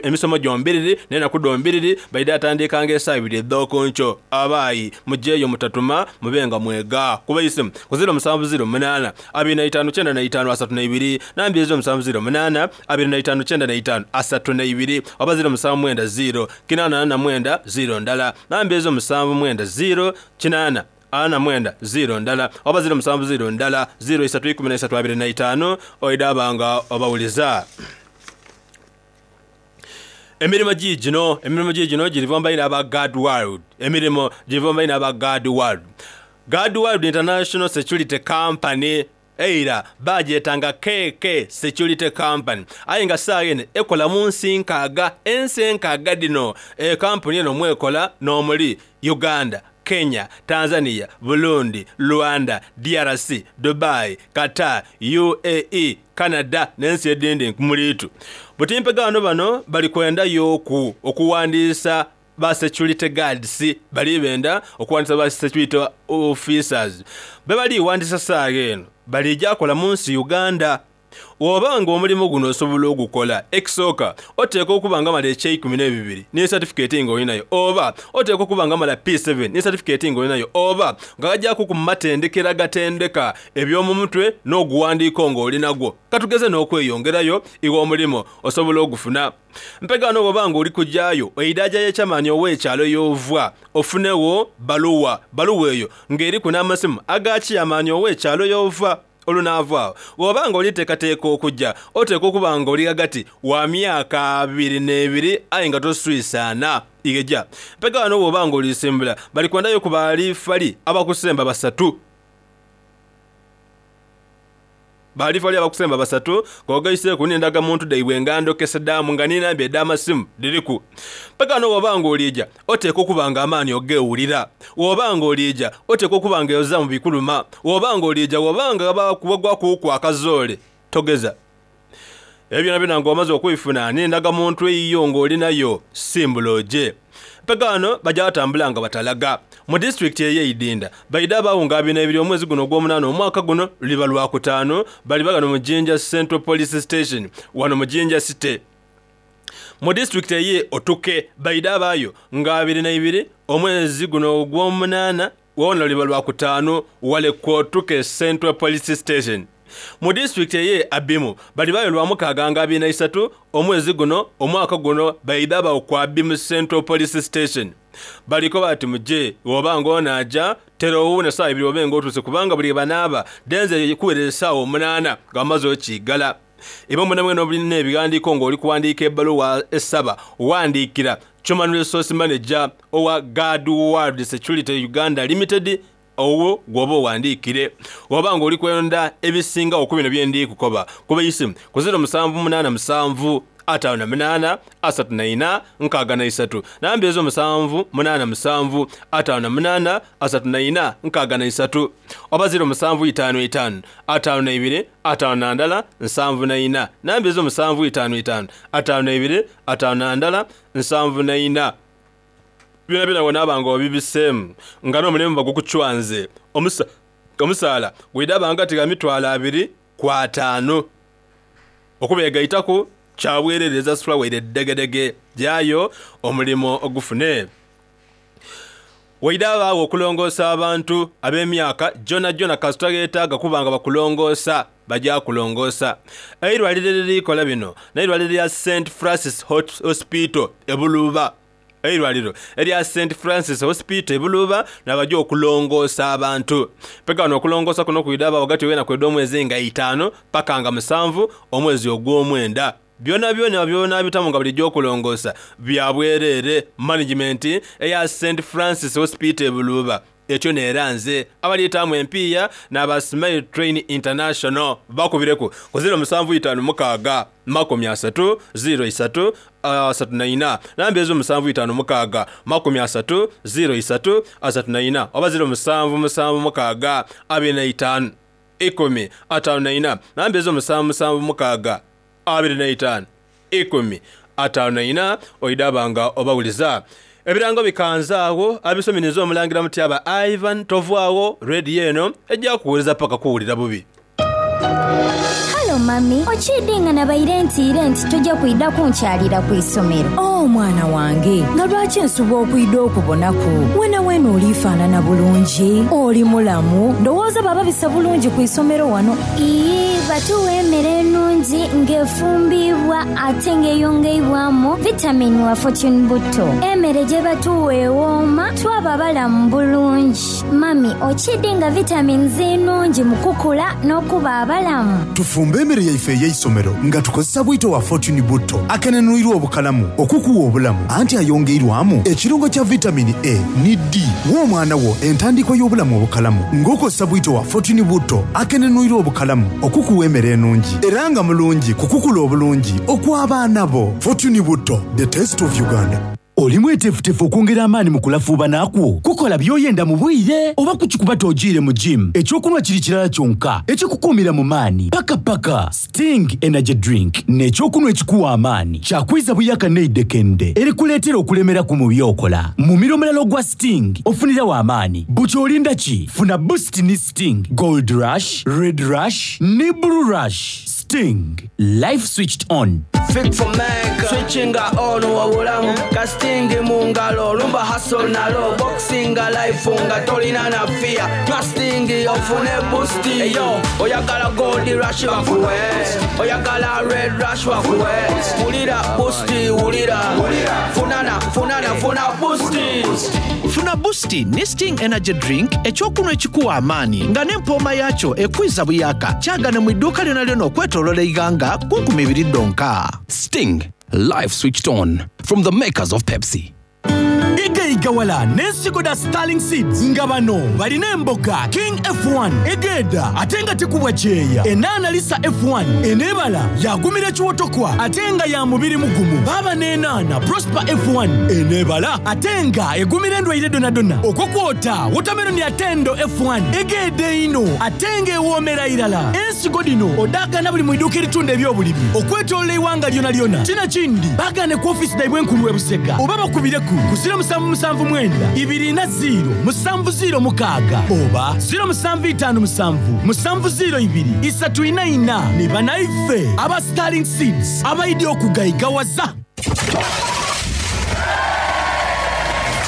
Emisomo gyombiriri n'enaku dhombiriri baidha tandikanga esaawa ibiri edh'okunkyo. Abaayi mujeeyo mutatuma mube nga mwega. Kuba eisimu ku 0708 25 95 32 namba ezo 708 25 95 32 oba 0790 849 0 ndala namba ezo 790 8 49 0 ndala oba 07 ndala 0 3 13 25 oidhaba nga obawuliza. Emirimo giigino, emirimo giigino giriva mu baine aba Guard World. Emirimo giriva mu baine aba Guard World. Guard World International Security Company eira baagyetanga KK Security Company aye nga saagha eno ekola mu nsi nkaaga. Ensi enkaaga dhino ekampuni eno mwekola n'omuli Uganda, Kenya, Tanzania, Burundi, Rwanda, DRC, Dubai, Qatar, UAE, Canada n'ensi edhindi nkumuliitu. Buti mpegaano bano bali kwendayoku okuwandiisa ba security guards. Bali benda okuwandiisa ba security officers. Bebali ghandiisa saagha eno baliija kola mu nsi Uganda. Bw'oba nga omulimo guno osobola ogukola, ekisooka oteekwa okuba nga mala ekyeikumi n'ebibiri ni satifikeeti nga olinayo, oba oteekwa okuba nga mala P7 ni satifikeeti nga olinayo, oba nga ghagyaku ku matendekero agatendeka eby'omu mutwe n'oguwandiiko nga olinagwo. Ka tugeze n'okweyongerayo, iwe omulimo osobola ogufuna. Mpegaano bw'oba nga oli kugyayo, oidha gya ye Chairman ow'ekyalo y'ova ofunegho baluwa. Baluwa eyo nga eriku n'amasimu aga Chairman ow'ekyalo y'ova. Olunaava agho, bw'oba nga oliteekateeka okuja, oteekwa okuba nga oli ghagati wa myaka abiri n'ebiri aye nga toswisaana igheja. Mpega ghano bw'oba nga olisimbula, bali kwendayo ku baalifali abakusemba basatu. Baalifali abakusemba basatu ng'ogaiseeku n'endagamuntu dhaibwe nga ndhokesedhaamu nga ni namba edh'amasimu dhiriku. Mpega ghano bw'oba nga olija, Oteekwa okuba nga amaani ogeewulira. Bw'oba nga oliija, oteekwa okuba nga oza mu bikuluma. Bw'oba nga oliija, bw'oba nga ghagwakuuku akazoole, togeza. Ebyo byonabyona nga omaze okubifuna n'endagamuntu eyiyo nga oli nayo, simbula oje. Mpegaano baja batambula nga batalaga. Mu disitulikiti ey'e Idinda, baidha baawunga abiri n'eibiri omwezi guno ogw'omunaana omwaka guno, luliba Lwakutaanu, baliba ghano mu Jinja Central Police Station, wano mu Jinja City. Mu disitulikiti ey'e Otuke baidha abaayo nga 22 omwezi guno ogw'omunaana wona luliba Lwakutaanu wale ku Otuke Central Police Station. Mu disitulikiti ey'e Abimu balibaayo Lwamukaaga nga 23 omwezi guno omwaka guno baidha abaawo ku Abimu Central Police Station. Balikoba bati muje bwoba nga onaaja tera owuune saawa ibiri obe nga otuuse kubanga buli ghebanaaba dhenze kuwereza esaawa omunaana nga bamaze okiigala. Imwe mwenamwena obulina ebighandiiko nga oli kuwandiika ebbaluwa esaba, ghandiikira Human Resource Manager owa Guard World Security Uganda Limited ogho gw'oba oghandiikire. Bw'oba nga oli kwenda ebisingagho ku bino bye ndi kukoba, kuba eisimu ku 0787 58 34 63. Namba ezo 787 58 34 63 oba 0755 52 51 74. Namba ezo 755 52 51 74. Byonabyona bw'onaaba nga obibiseemu, nga n'omulimu bagukucwanze, omusaala gwidhaba ghagati gha mitwalo abiri ku ataanu. Okubeegaitaku kya bwereere ezasula waire dhegedhege gyayo omulimo ogufune. Waidha ghabagho okulongoosa abantu ab'emyaka gyonagyona kasita gheetaaga kuba nga bakulongoosa, baja kulongoosa. Eirwaliro eriri kola bino n'eirwaliro lya Saint Francis Hospital e Buluuba. Eirwaliro erya Saint Francis Hospital e Buluuba n'abaja okulongoosa abantu. Mpegaano okulongoosa kuno kwidha bagho ghati gh'enaku edh'omwezi nga eitaanu paka nga musanvu omwezi ogw'omwenda. Byonabyona by'onaabitamu nga bulijo okulongoosa bya bwereere. Management eya Saint Francis Hospital e Buluuba etyo n'eranze abalyetaamu empiiya n'aba Smile Train International bakubireku ku ziro musanvu itaanu mukaaga makumi asatu ziro isatu asatu na ina namba ezo musanvu itaanu mukaaga makumi asatu ziro isatu asatu na ina oba ziro musanvu musanvu mukaaga abiri na itaanu ikumi ataanu na ina namba ezo musanvu musanvu mukaaga 25 54 oidhaba nga obawuliza. Ebirango bikanze agho abisomye ninze Omulangira Mutyaba Ivan tovwagho Radio eno eja kuwuliza paka kuwulira bubi. Halo mami, okiidhi nga nabaire ntiire nti toja kwidha kunkyalira ku isomero? Oh mwana wange, nga lwaki nsubwa okwidha okubonaku? Wenaweena oliifaanana bulungi, oli mulamu, ndowooza bababisa bulungi ku isomero wano. Iyii, batuwa emere enungi nga efumbiibwa ate nga eyongeibwamu vitamini wa Fortune Butto. Emere gyebatuwa ewooma twaba balamu bulungi. Mami, okiidhi nga vitamins nnungi mu kukula n'okuba abalamu? Tufumbe emere yaife ey'eisomero nga tukozesa bwito wa Fortune Butto akenenwirwa obukalamu okukuwa obulamu anti ayongeirwamu ekirungo kya vitamini A ni D. Wa omwana wo entandikwa y'obulamu obukalamu ng'okozesa bwito wa Fortune Butto akenenwirwa obukalamu okukuwa emere enungi era nga mulungi ku kukula obulungi okw'abaana bo. Fortune Butto, the taste of Uganda. Oli mweteefuteefu okwongera amaani mu kulafuubana kwo? Kukola by'oyenda mu bwire? Oba kukikuba t'ojiire mu gym? Eky'okunhwa kiri kirala kyonka ekikukuumira mu maani paka paka. Sting Energy Drink n'ekyokunhwa ekikuwa amaani. Kya kwiza buyaka n'eidhekende erikuleetera okulemeraku mu by'okola. Mumiro omulala ogwa Sting ofuniragho amaani. Buti olinda ki? Funa Boost ni Sting, Gold Rush, Red Rush ni Blue Rush. Sting, life switched on. Fik for make Switchinga on obulamu Ka sting mu ngalo Lumba hustle nalo Boxinga life nga tolina na fear Nywa sting ofune boost Eyo oyagala gold rush bakuwe Oyagala red rush bakuwe Wulira boost wulira Funana funana funa boost Funa boost ni Sting Energy Drink eky'okunhwa ekikuwa amaani nga n'empooma yaakyo ekwiza buyaaka. Kyagane mu iduuka lyonalyona okwetoloola eighanga ku nkumi ibiri dhonka. Sting, life switched on from the makers of Pepsi. Igaigawala n'ensigo dha Sterling Seeds nga bano balina emboga King F1 egeedha ate nga tekubwa kyeya, enaana Lisa F1 eneebala yaagumira ekiwotokwa ate nga ya mubiri mugumu, baaba n'enaana Prosper F1 eneebala ate nga egumira endwaire dhonadhona okwo kwota wotameroni Atendo F1 egeedha einho ate nga ewoomera irala. Ensigo dhino odhaagaana buli mu iduuka eritunda eby'obulimi okwetoolola eighanga lyonalyona. Tinakindi baagaane ku ofiisi dhaibwe enkulu e Busega oba bakubireku ku 0779 40 706 oba 0757 702 344 ni banaife aba Sterling Seeds abaidhi okugaigawaza.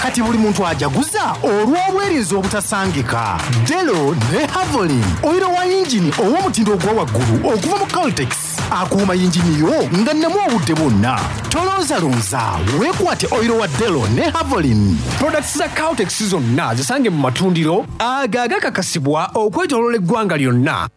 Kati buli muntu ajaguza olw'obwerinzi obutasangika. Delo ne Havolin, oyiro wa yingini ow'omutindo ogwa waggulu okuva mu Caltex akuuma yingini yo nga nnamu obudde bwonna. Tolonzalonza, weekwate oyiro wa Delo ne Havolin. Products za Caltex zonna zisange mu matundiro ago agakakasibwa okwetoloola eggwanga lyonna.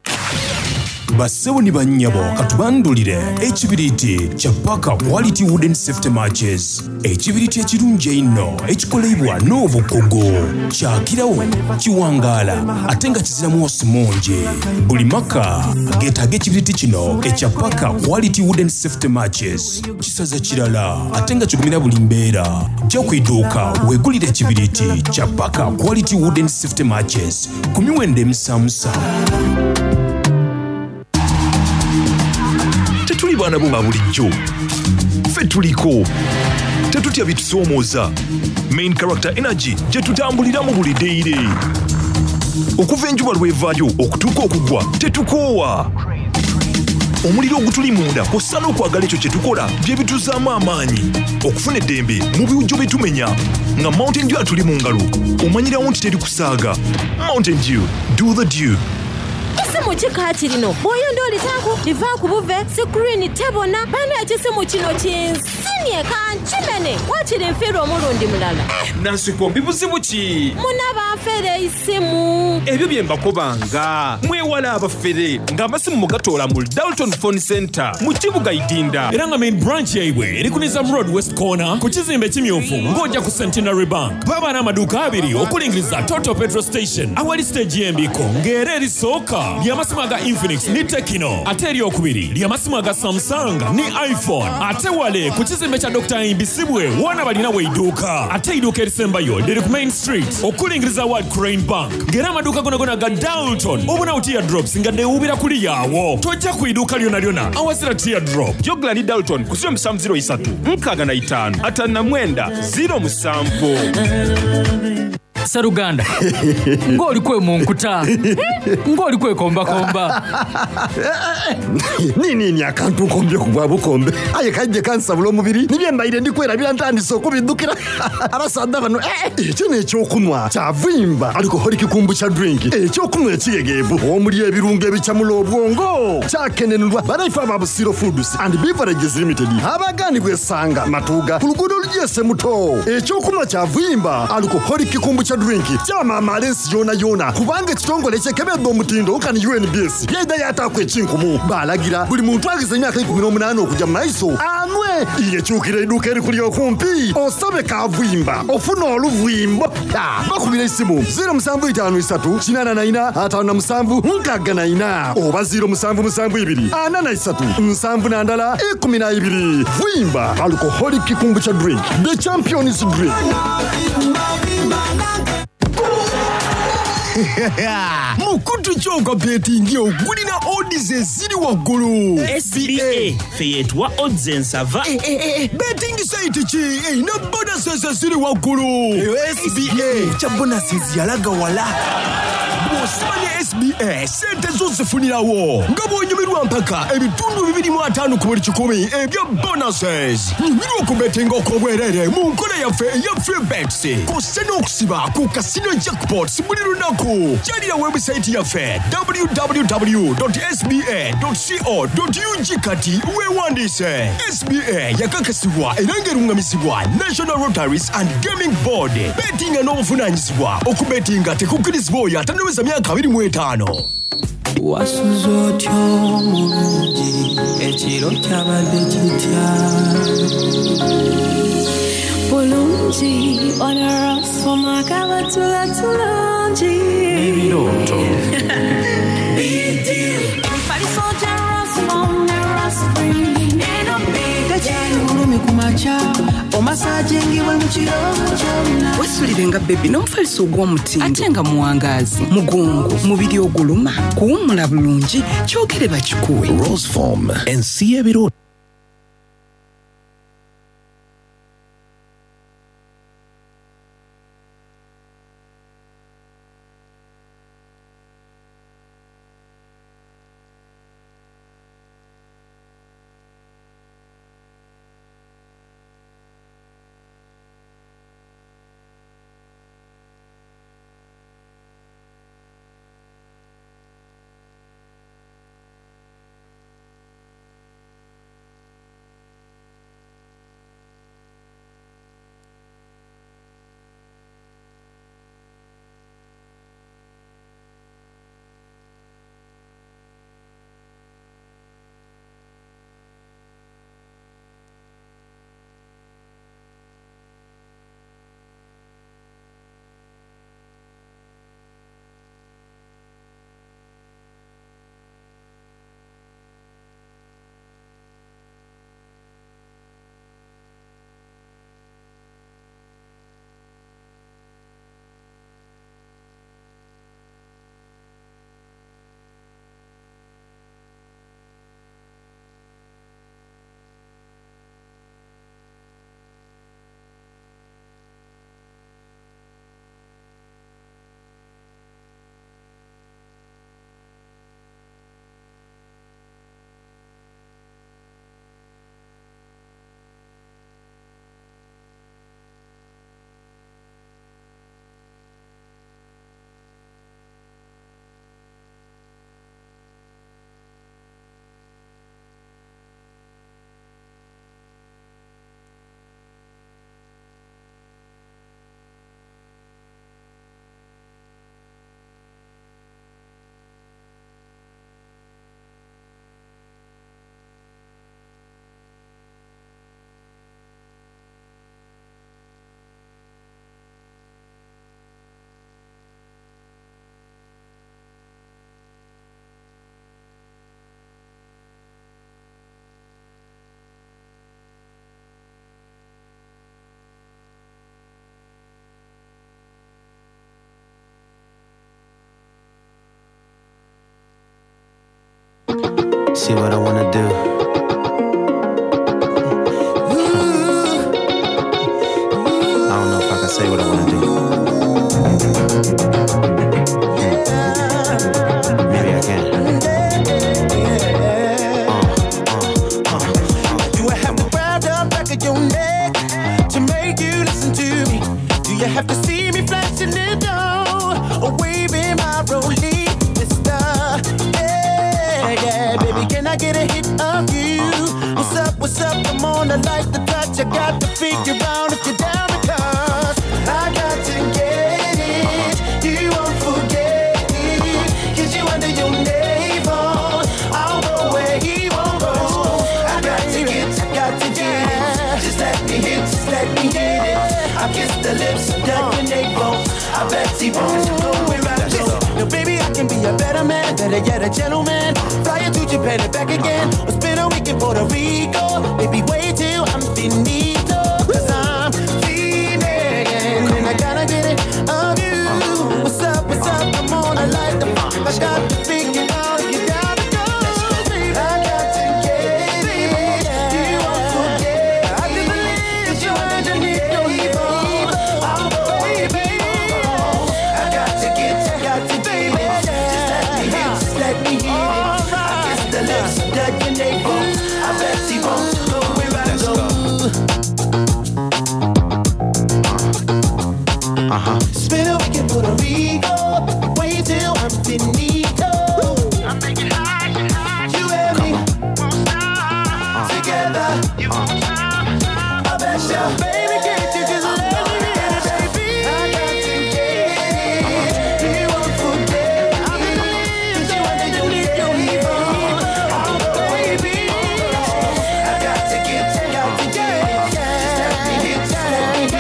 Bassebo ni bannyabo katubandhulire ekibiriiti kya Parker Quality Wooden Safety Matches. Ekibiriiti ekirungi einho ekikoleibwa n'obukugu. Kyakiragho, kiwangaala ate nga kizira mwosi mungi. Buli maka geetaaga ekibiriiti kino ekya Parker Quality Wooden Safety Matches. Kisaza kirala ate nga kigumira buli mbeera. Ja ku iduuka weegulire ekibiriiti kya Parker Quality Wooden Safety Matches ku miwendo emisaamusaamu. Tetuli baana bo ba bulijjo. Ffe tuliko. Tetutya bitusoomooza. Main Character Energy gye tutambuliramu buli daily. Okuva enjuba lw'evaayo okutuuka okugwa tetukoowa. Omuliro ogutuli munda kw'ossa n'okwagala ekyo kye tukola bye bituzaamu amaanyi okufuna eddembe mu biwujjo bye tumenya. Nga Mountain Dew atuli mu ngalo omanyirawo nti teri kusaaga. Mountain Dew, do the dew. Kisimu ki kaakirino? Bw'oyenda olitaaku, livaaku buve, sikuriini tebona. Bana ekisimu kino kinsinie kankimene. Waakiri nfiirwa omulundi mulala. Eh, Nansikombi buzibu ki? Muna banfera eisimu. Ebyo bye mbakobanga. Mwewale abafere nga amasimu mugatoola mu Dalton Phone Centre mu kibuga Idinda. Era nga main branch yaibwe eri ku Nizam Road West Corner ku kizimbe ekimyufu ng'oja ku Centenary Bank. Baba n'amaduuka abiri okulingiriza Total Petrol Station awali siteegi y'embiiko ng'era erisooka ly'amasimu aga Infinix ni Tecno ate eryokubiri ly'amasimu aga Samsung ni iPhone ate wale ku kizimbe kya Dokita Ahimbisibwe woona balinawo eiduuka ate eiduuka erisembayo liri ku Main Street okulingiriza World Crane Bank ng'era amaduuka gonagona aga Dalton obonawo teardrops nga dhewuubira kuliya agho tojja ku iduuka lyonalyona awazira teardrop. Jogla ni Dalton ku 0703 65 59 07. Sseruganda, ng'oli kwemunkuta, ng'oli kwekombakomba. Niinini akantu nkombyeku bwa bukombe aye kaidhye kansabula omubiri ni bye mbaire ndi kwerabira ntandise okubidhukira. Abasaadha bano eh, ekyo n'ekyokunwa kya vimba alcoholic kombucha drink, ekyokunwa ekighegheevu omuli ebirungo ebicamula obwongo. Kyakenenulwa banaife aba Busiro Foods and Beverages Limited abagaanibwa e Sanga, Matuuga ku luguudo olugya e Semuto. Ekyokunwa kya vimba alcoholic kombucha drink kyamaamaala ensi yoonayoona kubanga ekitongole ekyekebedha omutindo nkani UNBS yaidha yaataaku ekinkumu. Baalagira buli muntu agheza emyaka 18 okuja mu maiso anwe. Iye kyukira eiduuka erikuli okumpi osabe kavwimba ofune oluvwimbo. Bakubire eisimu 0753 84 57 64 oba 0772 43 71 12. Vwimba alcoholic kombucha drink, the champions drink. Mukutu ki ogwa betingi ogulina odds eziri waggulu? SBA ffe yetuwa odds ensava. Eh, eh, eh, betting site ki erina bonuses eziri waggulu? Eyo SBA kya bonuses yalaga wala. Bw'osiba ne SBA sente zo zifunirawo nga bw'onyumirwa mpaka 250 ku buli kikumi ebya bonuses. Nyumirwa okubetinga okw'obwereere mu nkola yaffe eya free bets kw'ossa n'okusiba ku casino jackpots buli lunaku. Kyalira webusayiti yaffe www.sba.co.ug kati weewandiise. SBA yakakasibwa era ng'erungamizibwa National Lotteries and Gaming Board. Betinga n'obuvunaanyizibwa. Okubetinga tekukkirizibwa oyo atannaweza myaka 25. Wasuze otya omulungi, ekiro kyabadde kitya? Bulungi, onorosoma kabatula tulungi. N'ebirooto. Emifaliso gya Rosmom ne Rospring eno big Tekyali bulumi ku makya, omasajingibwe mu kiro kyonna. Wesulire nga bebi n'omufaliso ogw'omutindo ate nga muwangaazi, mugongo, mubiri oguluma, kuwummula bulungi, kyogere bakikuwe. Roseform, ensi y'ebirooto. See what I wanna do. I don't know if I can say what I wanna do. Maybe I can. Do I have to grab the back of your neck to make you listen to me? Do you have to see me flashing it down or waving my rollie, mister? Yeah, yeah, baby, can I get a hit of you? What's up, what's up? I'm on, I like the touch. I got to figure out if you're down because I got to get it. You won't forget it. Kiss you under your navel. I'll go where he won't go. I got to get, I got to get it. Just let me hit, just let me hit it. I kiss the lips of your navel. I bet he won't go where I go. Now, baby, I can be a better man, better yet, a gentleman. Fly you to Japan and back again, or spend a week in Puerto Rico. Baby, wait till I'm finito, 'cause I'm feeling, and I gotta get it of you. What's up, what's up? I'm on, I like the I got to figure out if you're down to go. Baby. I got to get it. You won't forget. I can believe you underneath your navel. I'll go, baby. I got to get, I got to get it. Just let me hit, just let me hit it. I kiss the lips of your navel. I bet he won't go where I go. Uh-huh. Spend a week in Puerto Rico. Wait till I'm finito. I'm making high, you and me won't stop. Together, you won't stop. I bet you, baby, can't you just let me hit it, baby? I got to get it. You won't forget. I believe you underneath your navel. I'll go, baby. I got to get, I got to get it. Just let me hit, just let me hit it.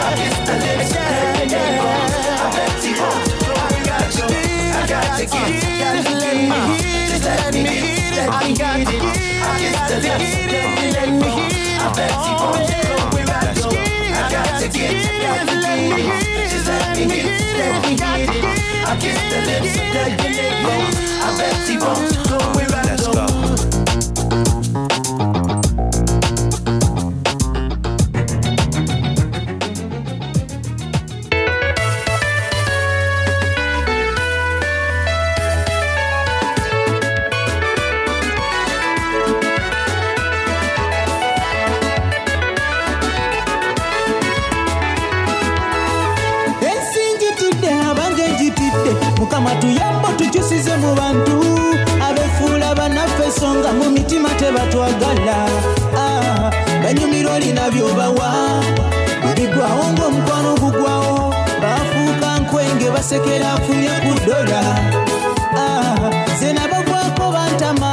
I kiss the lips of your navel. I bet he won't go where I go. I got to get, I got to get it. Just let me hit, let me hit it. I kiss the lips of your navel. I bet he won't go where I go. I got to get, I got to get it. Just let me hit, let me hit it. I kiss the lips of your navel. I bet he won't go where I go. Ensi njitidde abange njitidde mukama tuyambo tukyusize mu bantu abefuula bannaffe so nga mu mitima tebatwagala. Ah, banyumirwa olina byobawa bigwawo ng'omukwano gugwawo bafuuka nkwenge basekera afunye ku ddola. Ah, ze nabagwako bantama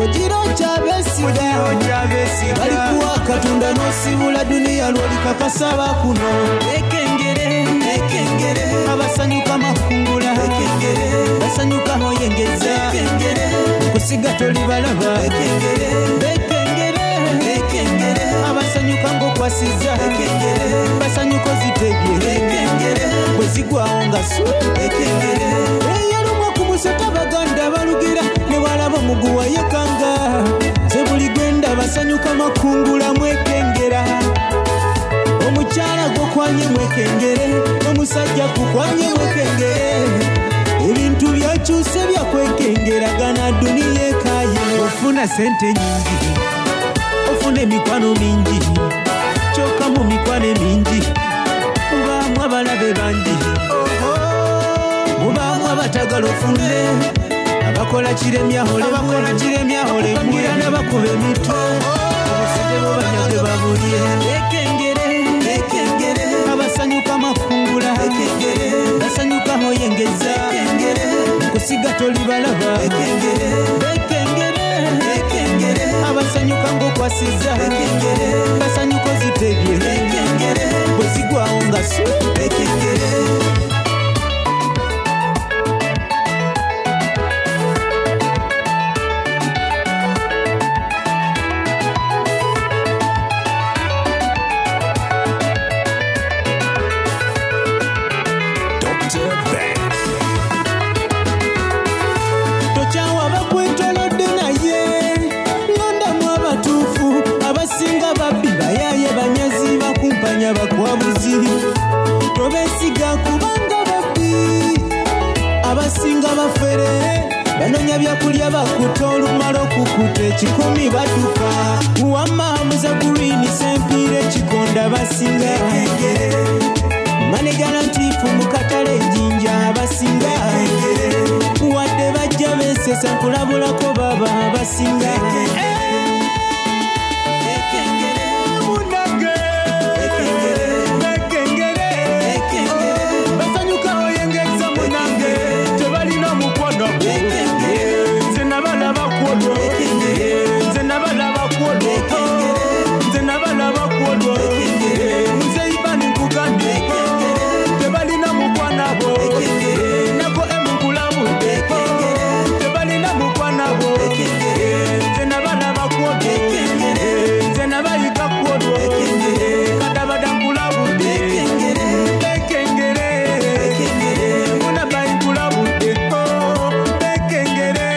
ogira okyabesiga balikuwa katonda n'osibula duniya lw'olikakasaba kuno ekengere ekengere abasanyuka makungula ekengere basanyuka hoyengeza ekengere kusiga tolibalaba ekengere bekengere ekengere abasanyuka ng'okwasiza ekengere basanyuka ozitegye ekengere bwe zigwawo nga su ekengere eyalumwa ku musota baganda balugira ne walaba omuguwa yekanga nze buli gwenda basanyuka makungula mwekengera omukyala gwokwanye mwekengere omusajja kukwanye mwekengere ebintu byakyuse byakwekengeragana duniya ekaye ofuna sente nyingi ofuna emikwano mingi kyokka mu mikwano emingi mubaamu abalabe bangi mubaamu abatagala ofune abakola kiremyaholemwagira n'abakuba emitwe obusente bobanyage babulye ekengere ekengere abasanyuka makungula ekengere basanyuka hoyengeza ekengere kusiga tolibalaba ekengere bekengere ekengere abasanyuka ng'okwasiza ekengere basanyuka ozitegye ekengere bwe zigwawo nga su ekengere. Dr. Ben. Tokyawa bakwetolodde. Banonya byakulya bakuta olumala okukuta ekikumi baduka. Wamma muza green sempiira ekikonda basinga. Maneja Latifu mu katale Jinja abasinga. Wadde bajja beesesa nkulabulako baba abasinga. Basanyuka oyengeza munange tebalina mukwano nze nabalaba kwolwo nze nabalaba kwolwo nze nabalaba kwolwo nze ibani nkugambye tebalina mukwanabo nako emukulabudde tebalina mukwanabo nze nabalaba kwolwo nze nabayiga kwolwo kadabada nkulabudde bekengere munabayikulabudde bekengere.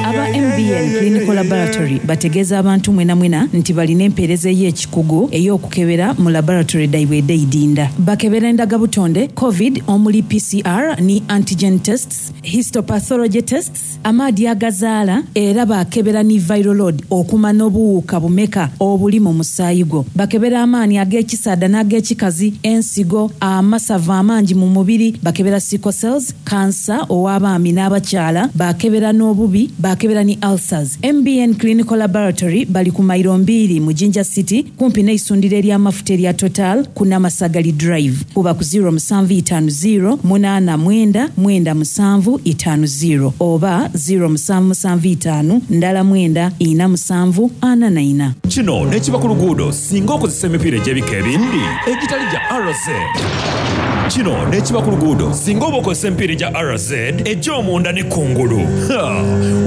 Aba MBN Clinical Laboratory bategeeza abantu mwenamwena nti balina empeereza ey'ekikugu ey'okukebera mu laboratory daibwe ed'eidinda. Bakebera endagabutonde, covid omuli PCR ni antigen tests, histopathology tests, amaadi agazaala era bakebera ni viral load okumanya obuwuka bumeka obuli mu musaayi gwo. Bakebera amaani ag'ekisaadha n'ag'ekikazi, ensigo, amasavu amangi mu mubiri, bakebera sickle cells, kansa ow'abaami n'abakyala, bakebera n'obubi, bakebera ni ulcers. MBN Clinical Laboratory bali ku mairo mbiri mu Jinja City kumpi n'eisundiro ery'amafuta erya Total ku Namasagali Drive. Kuba ku 0750 89 97 50 oba 0775 ndala 9 47 44. Kino nekiba ku luguudo singa okozesa emipiira egy'ebika ebindi egitali gya RZ. Kino nekiba ku luguudo singa oba okozesa emipiira egya RZ egy'omunda ne kungulu. Ha!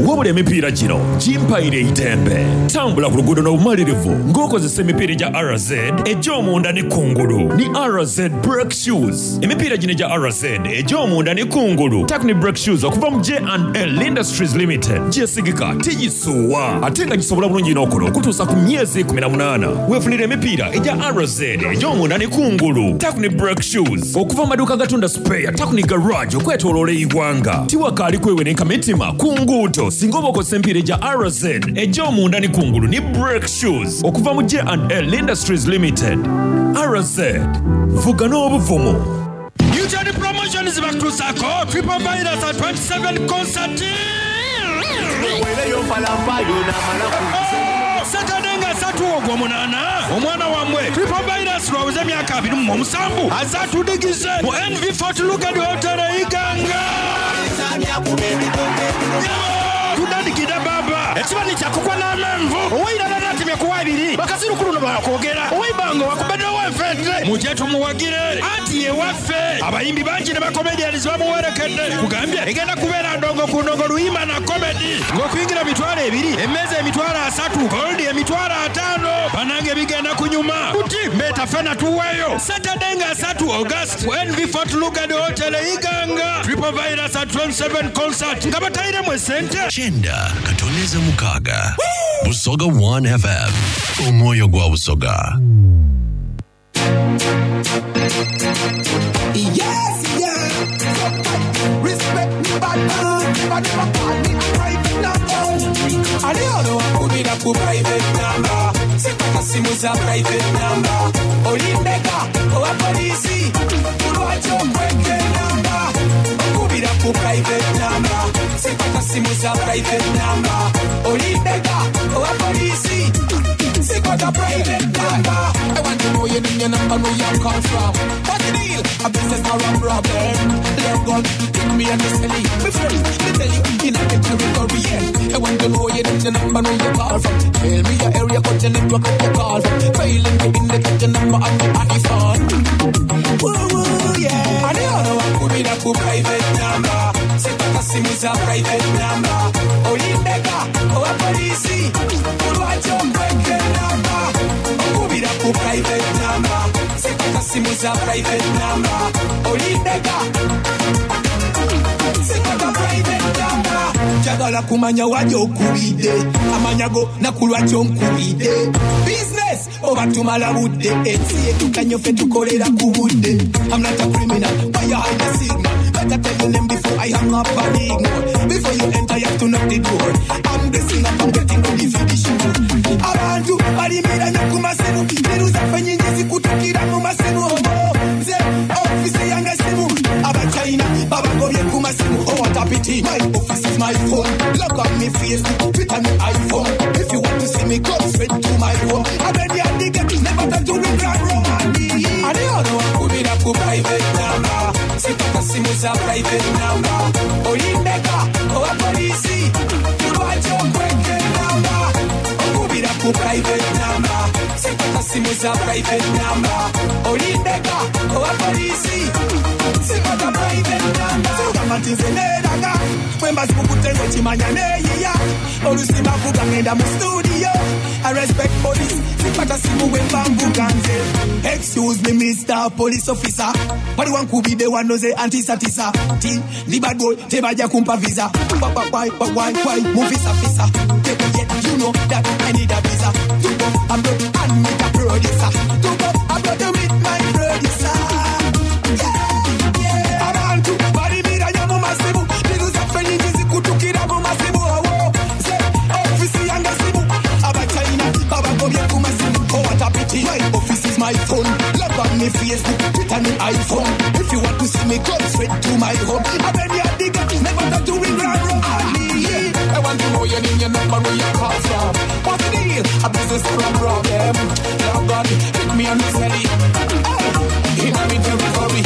Wabula emipiira gino gimpaire eitembe. Tambula ku luguudo n'obumalirivu ng'okozesa emipiira egya RZ egy'omunda ne kungulu ni RZ brake shoes. Emipiira gino egya RZ egy'omunda ne kungulu Takni brake shoes okuva mu J&L Industries Limited gyesigika tigisuuwa ate nga gisobola bulungi n'okola okutuusa ku myezi 18. Weefunira emipiira egya RZ egy'omunda ne kungulu Takni brake shoes okuva mu maduuka agatunda spare Takni garage okwetooloola eggwanga. Tiwakaali kwewerenka mitima ku nguudo singa oba okozesa emipiira egya RZ egy'omunda ne kungulu ni brake shoes okuva mu J&L Industries Limited. RZ vuga n'obuvumu. Newton Promotions bakutuusaako Triple Virus at 27 concert. Saturday nga 3 ogw'omunaana omwana wammwe Triple Virus lwabuze emyaka 27 aze atudigize mu NV Fort Lugard Hotel e Iganga. Tudandikidde baba ekibani kyakukwa n'amenvu owairala natemye kuwa ebiri bakasirukulu no bakwogera owaibanga wakubeddewo enfente mujje tumuwagire anti yewaffe abayimbi bangi ne bakomedians bamuwerekedde kugambye egenda kubeera ndongo ku ndongo luyimba na komedi ng'okuyingira 20,000 emmeeza 30,000 goldi 50,000 banange bigenda kunyuma kuti mbeeta fena tuweeyo Saturday nga 3 August ku NV Fort Lugard Hotel e Iganga Triple Virus at 27 concert nga batayiremu esente. Kyenda katoneza mukaaga Busoga 1 FM omwoyo gwa Busoga. Yes, yeah. Respect me, bad man. Never, never call me a private number. Ali ono wakubira ku private number. Sipata simu za private number. Olimbeka owa polisi. Kulwaki okweka enamba? Okubira ku private number. Sipata simu za private number. Olimbeka owa polisi. Sikwata private number. I want to know your name, your number, know you come from. What's the deal? A business or a problem? Love gun, pick me and the silly. Me friend, me tell you, in a territory, yeah. I want to know your name, your number, know you call from. Tell me your area, got your network, got your call from. Failing to indicate your number on the iPhone. Woo, woo, yeah. I don't know what could be that private number. Sipata simu za private number. Olimbeka, owa polisi. Kulwaki okweka enamba? Okubira ku private number. Sipata simu za private number. Olimbeka. Sipata private number. Njagala kumanya wali okubidde amanya go nakulwaki onkubidde business oba tumala budde ensi yetukanye ffe tukolera ku budde. I'm not a criminal, but you hide the signal. Better tell your name before I hang up and ignore. Before you enter, you have to knock the door. I'm dressing up, I'm getting ready for the show. Abantu balimira nnyo ku masimu, mbiru zaffe nyingi zikutukira mu masimu. Oh, nze office yange simu, abachina babagobye ku masimu. Oh, what a pity, my office is my phone. Look on me Facebook, Twitter, me iPhone. If you want to see me, come straight to my home. I'm ready at the gate, never time to regret Romani. Ani ono wakubira ku private number, sitaka simu za private number. Olindeka owa polisi, lwaki okweka enamba? Okubira ku private number, sitaka simu za private number. Olindeka owa polisi, sitaka private number. Sogamba nti nze neeraga, bwe mba sikukutte ng'okimanya neeyiya. Olusimba vuga ngenda mu studio. I respect police, sipata simu bwe mba mvuga nze. Excuse me Mr. Police Officer, wali wankubidde wano ze antisatisa. Ti ndi bad boy, tebajja kumpa visa. Why, why, why, why, why, mufisafisa. Yeah, you know that I need a visa. To go abroad and meet a producer. To go abroad to meet my producer. Yeah, yeah. Abantu balimira nnyo mu masimu, mbiru zaffe nyingi zikutukira mu masimu. Awo, nze office yange simu, abachina babagobye ku masimu. Oh, what a pity, my office is my phone. Love on me Facebook, Twitter, me iPhone. If you want to see me, come straight to my home. I'm ready at the gate, never talk to regret Romani. I want to know your name, your number, where you call from. What's the deal? A business or a problem? Love God, pick me on the celly. Hey, in my territory.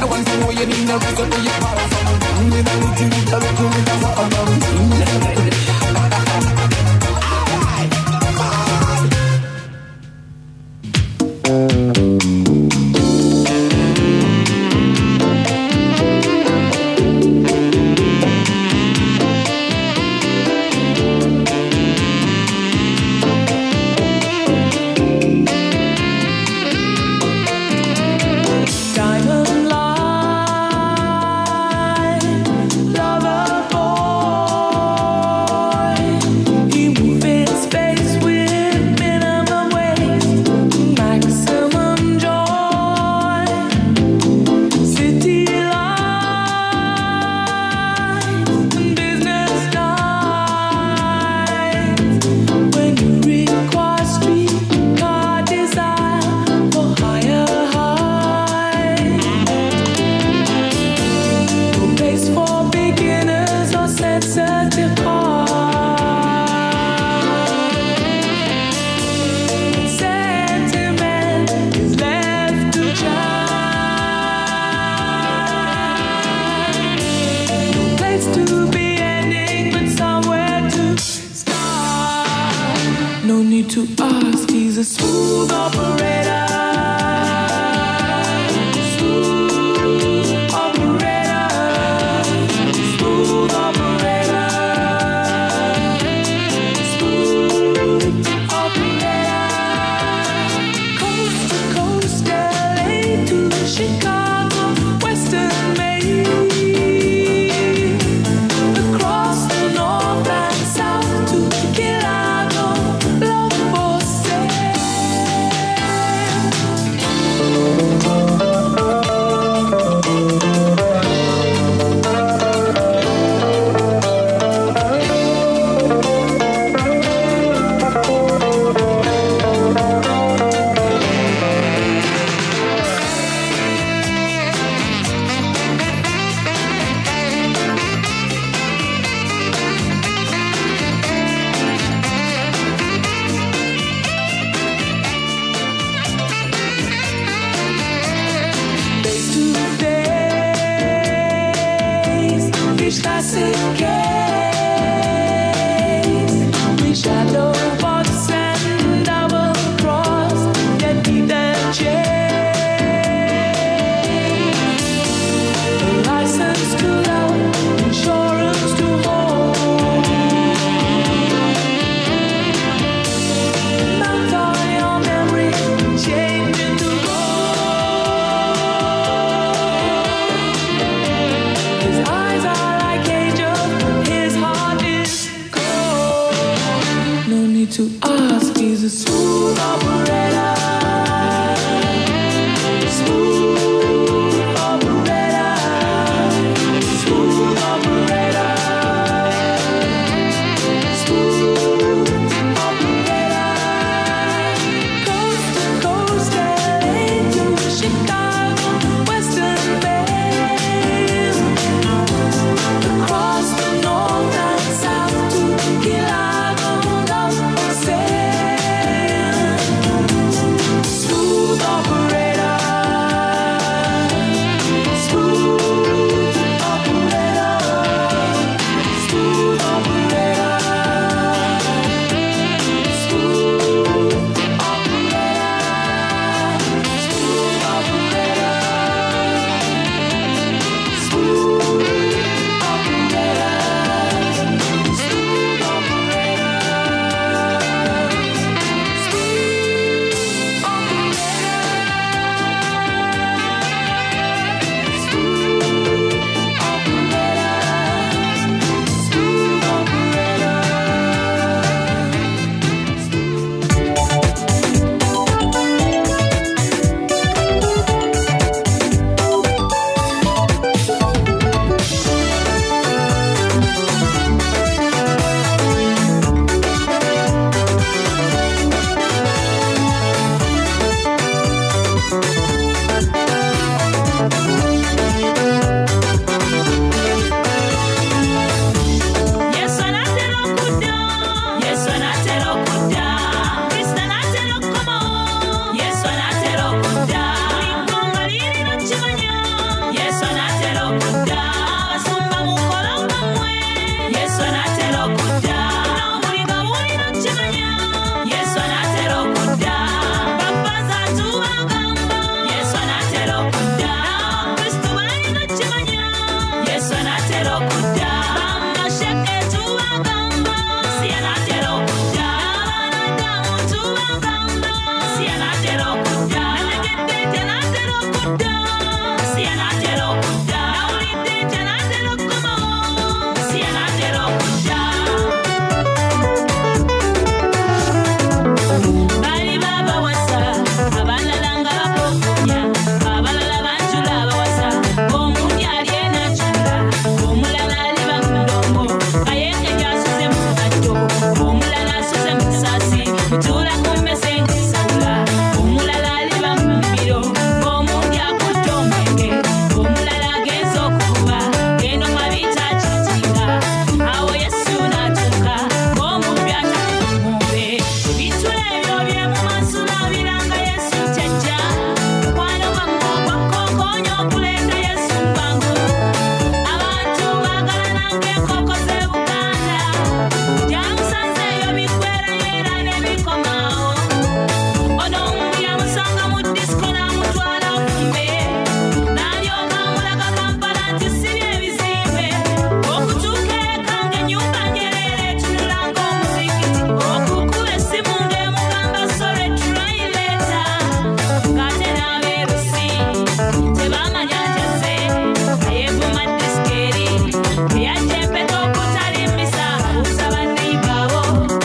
I want to know your name, the reason where you call from. With a little bit of a little bit of a Diamond line, lover boy. He move in space with minimum waste, maximum joy. City lights and business nights. When you require streetcar desire for higher heights. No place for beginners or sensitive hearts. Sentiment is left to chance. No place to be ending, but somewhere to start. No need to ask, he's a smooth operator. Smooth operator. Smooth operator. Smooth operator. Coast to coast, LA to Chicago, Western Maine. Across the north and south to Chicago, love for sale. Face to face, each classic case. We shadow box and double cross, yet keep the change. A license to love, insurance to hold. Mount all your memory, change into gold. His eyes are like angels, his heart is cold. No need to ask, he's a smooth operator.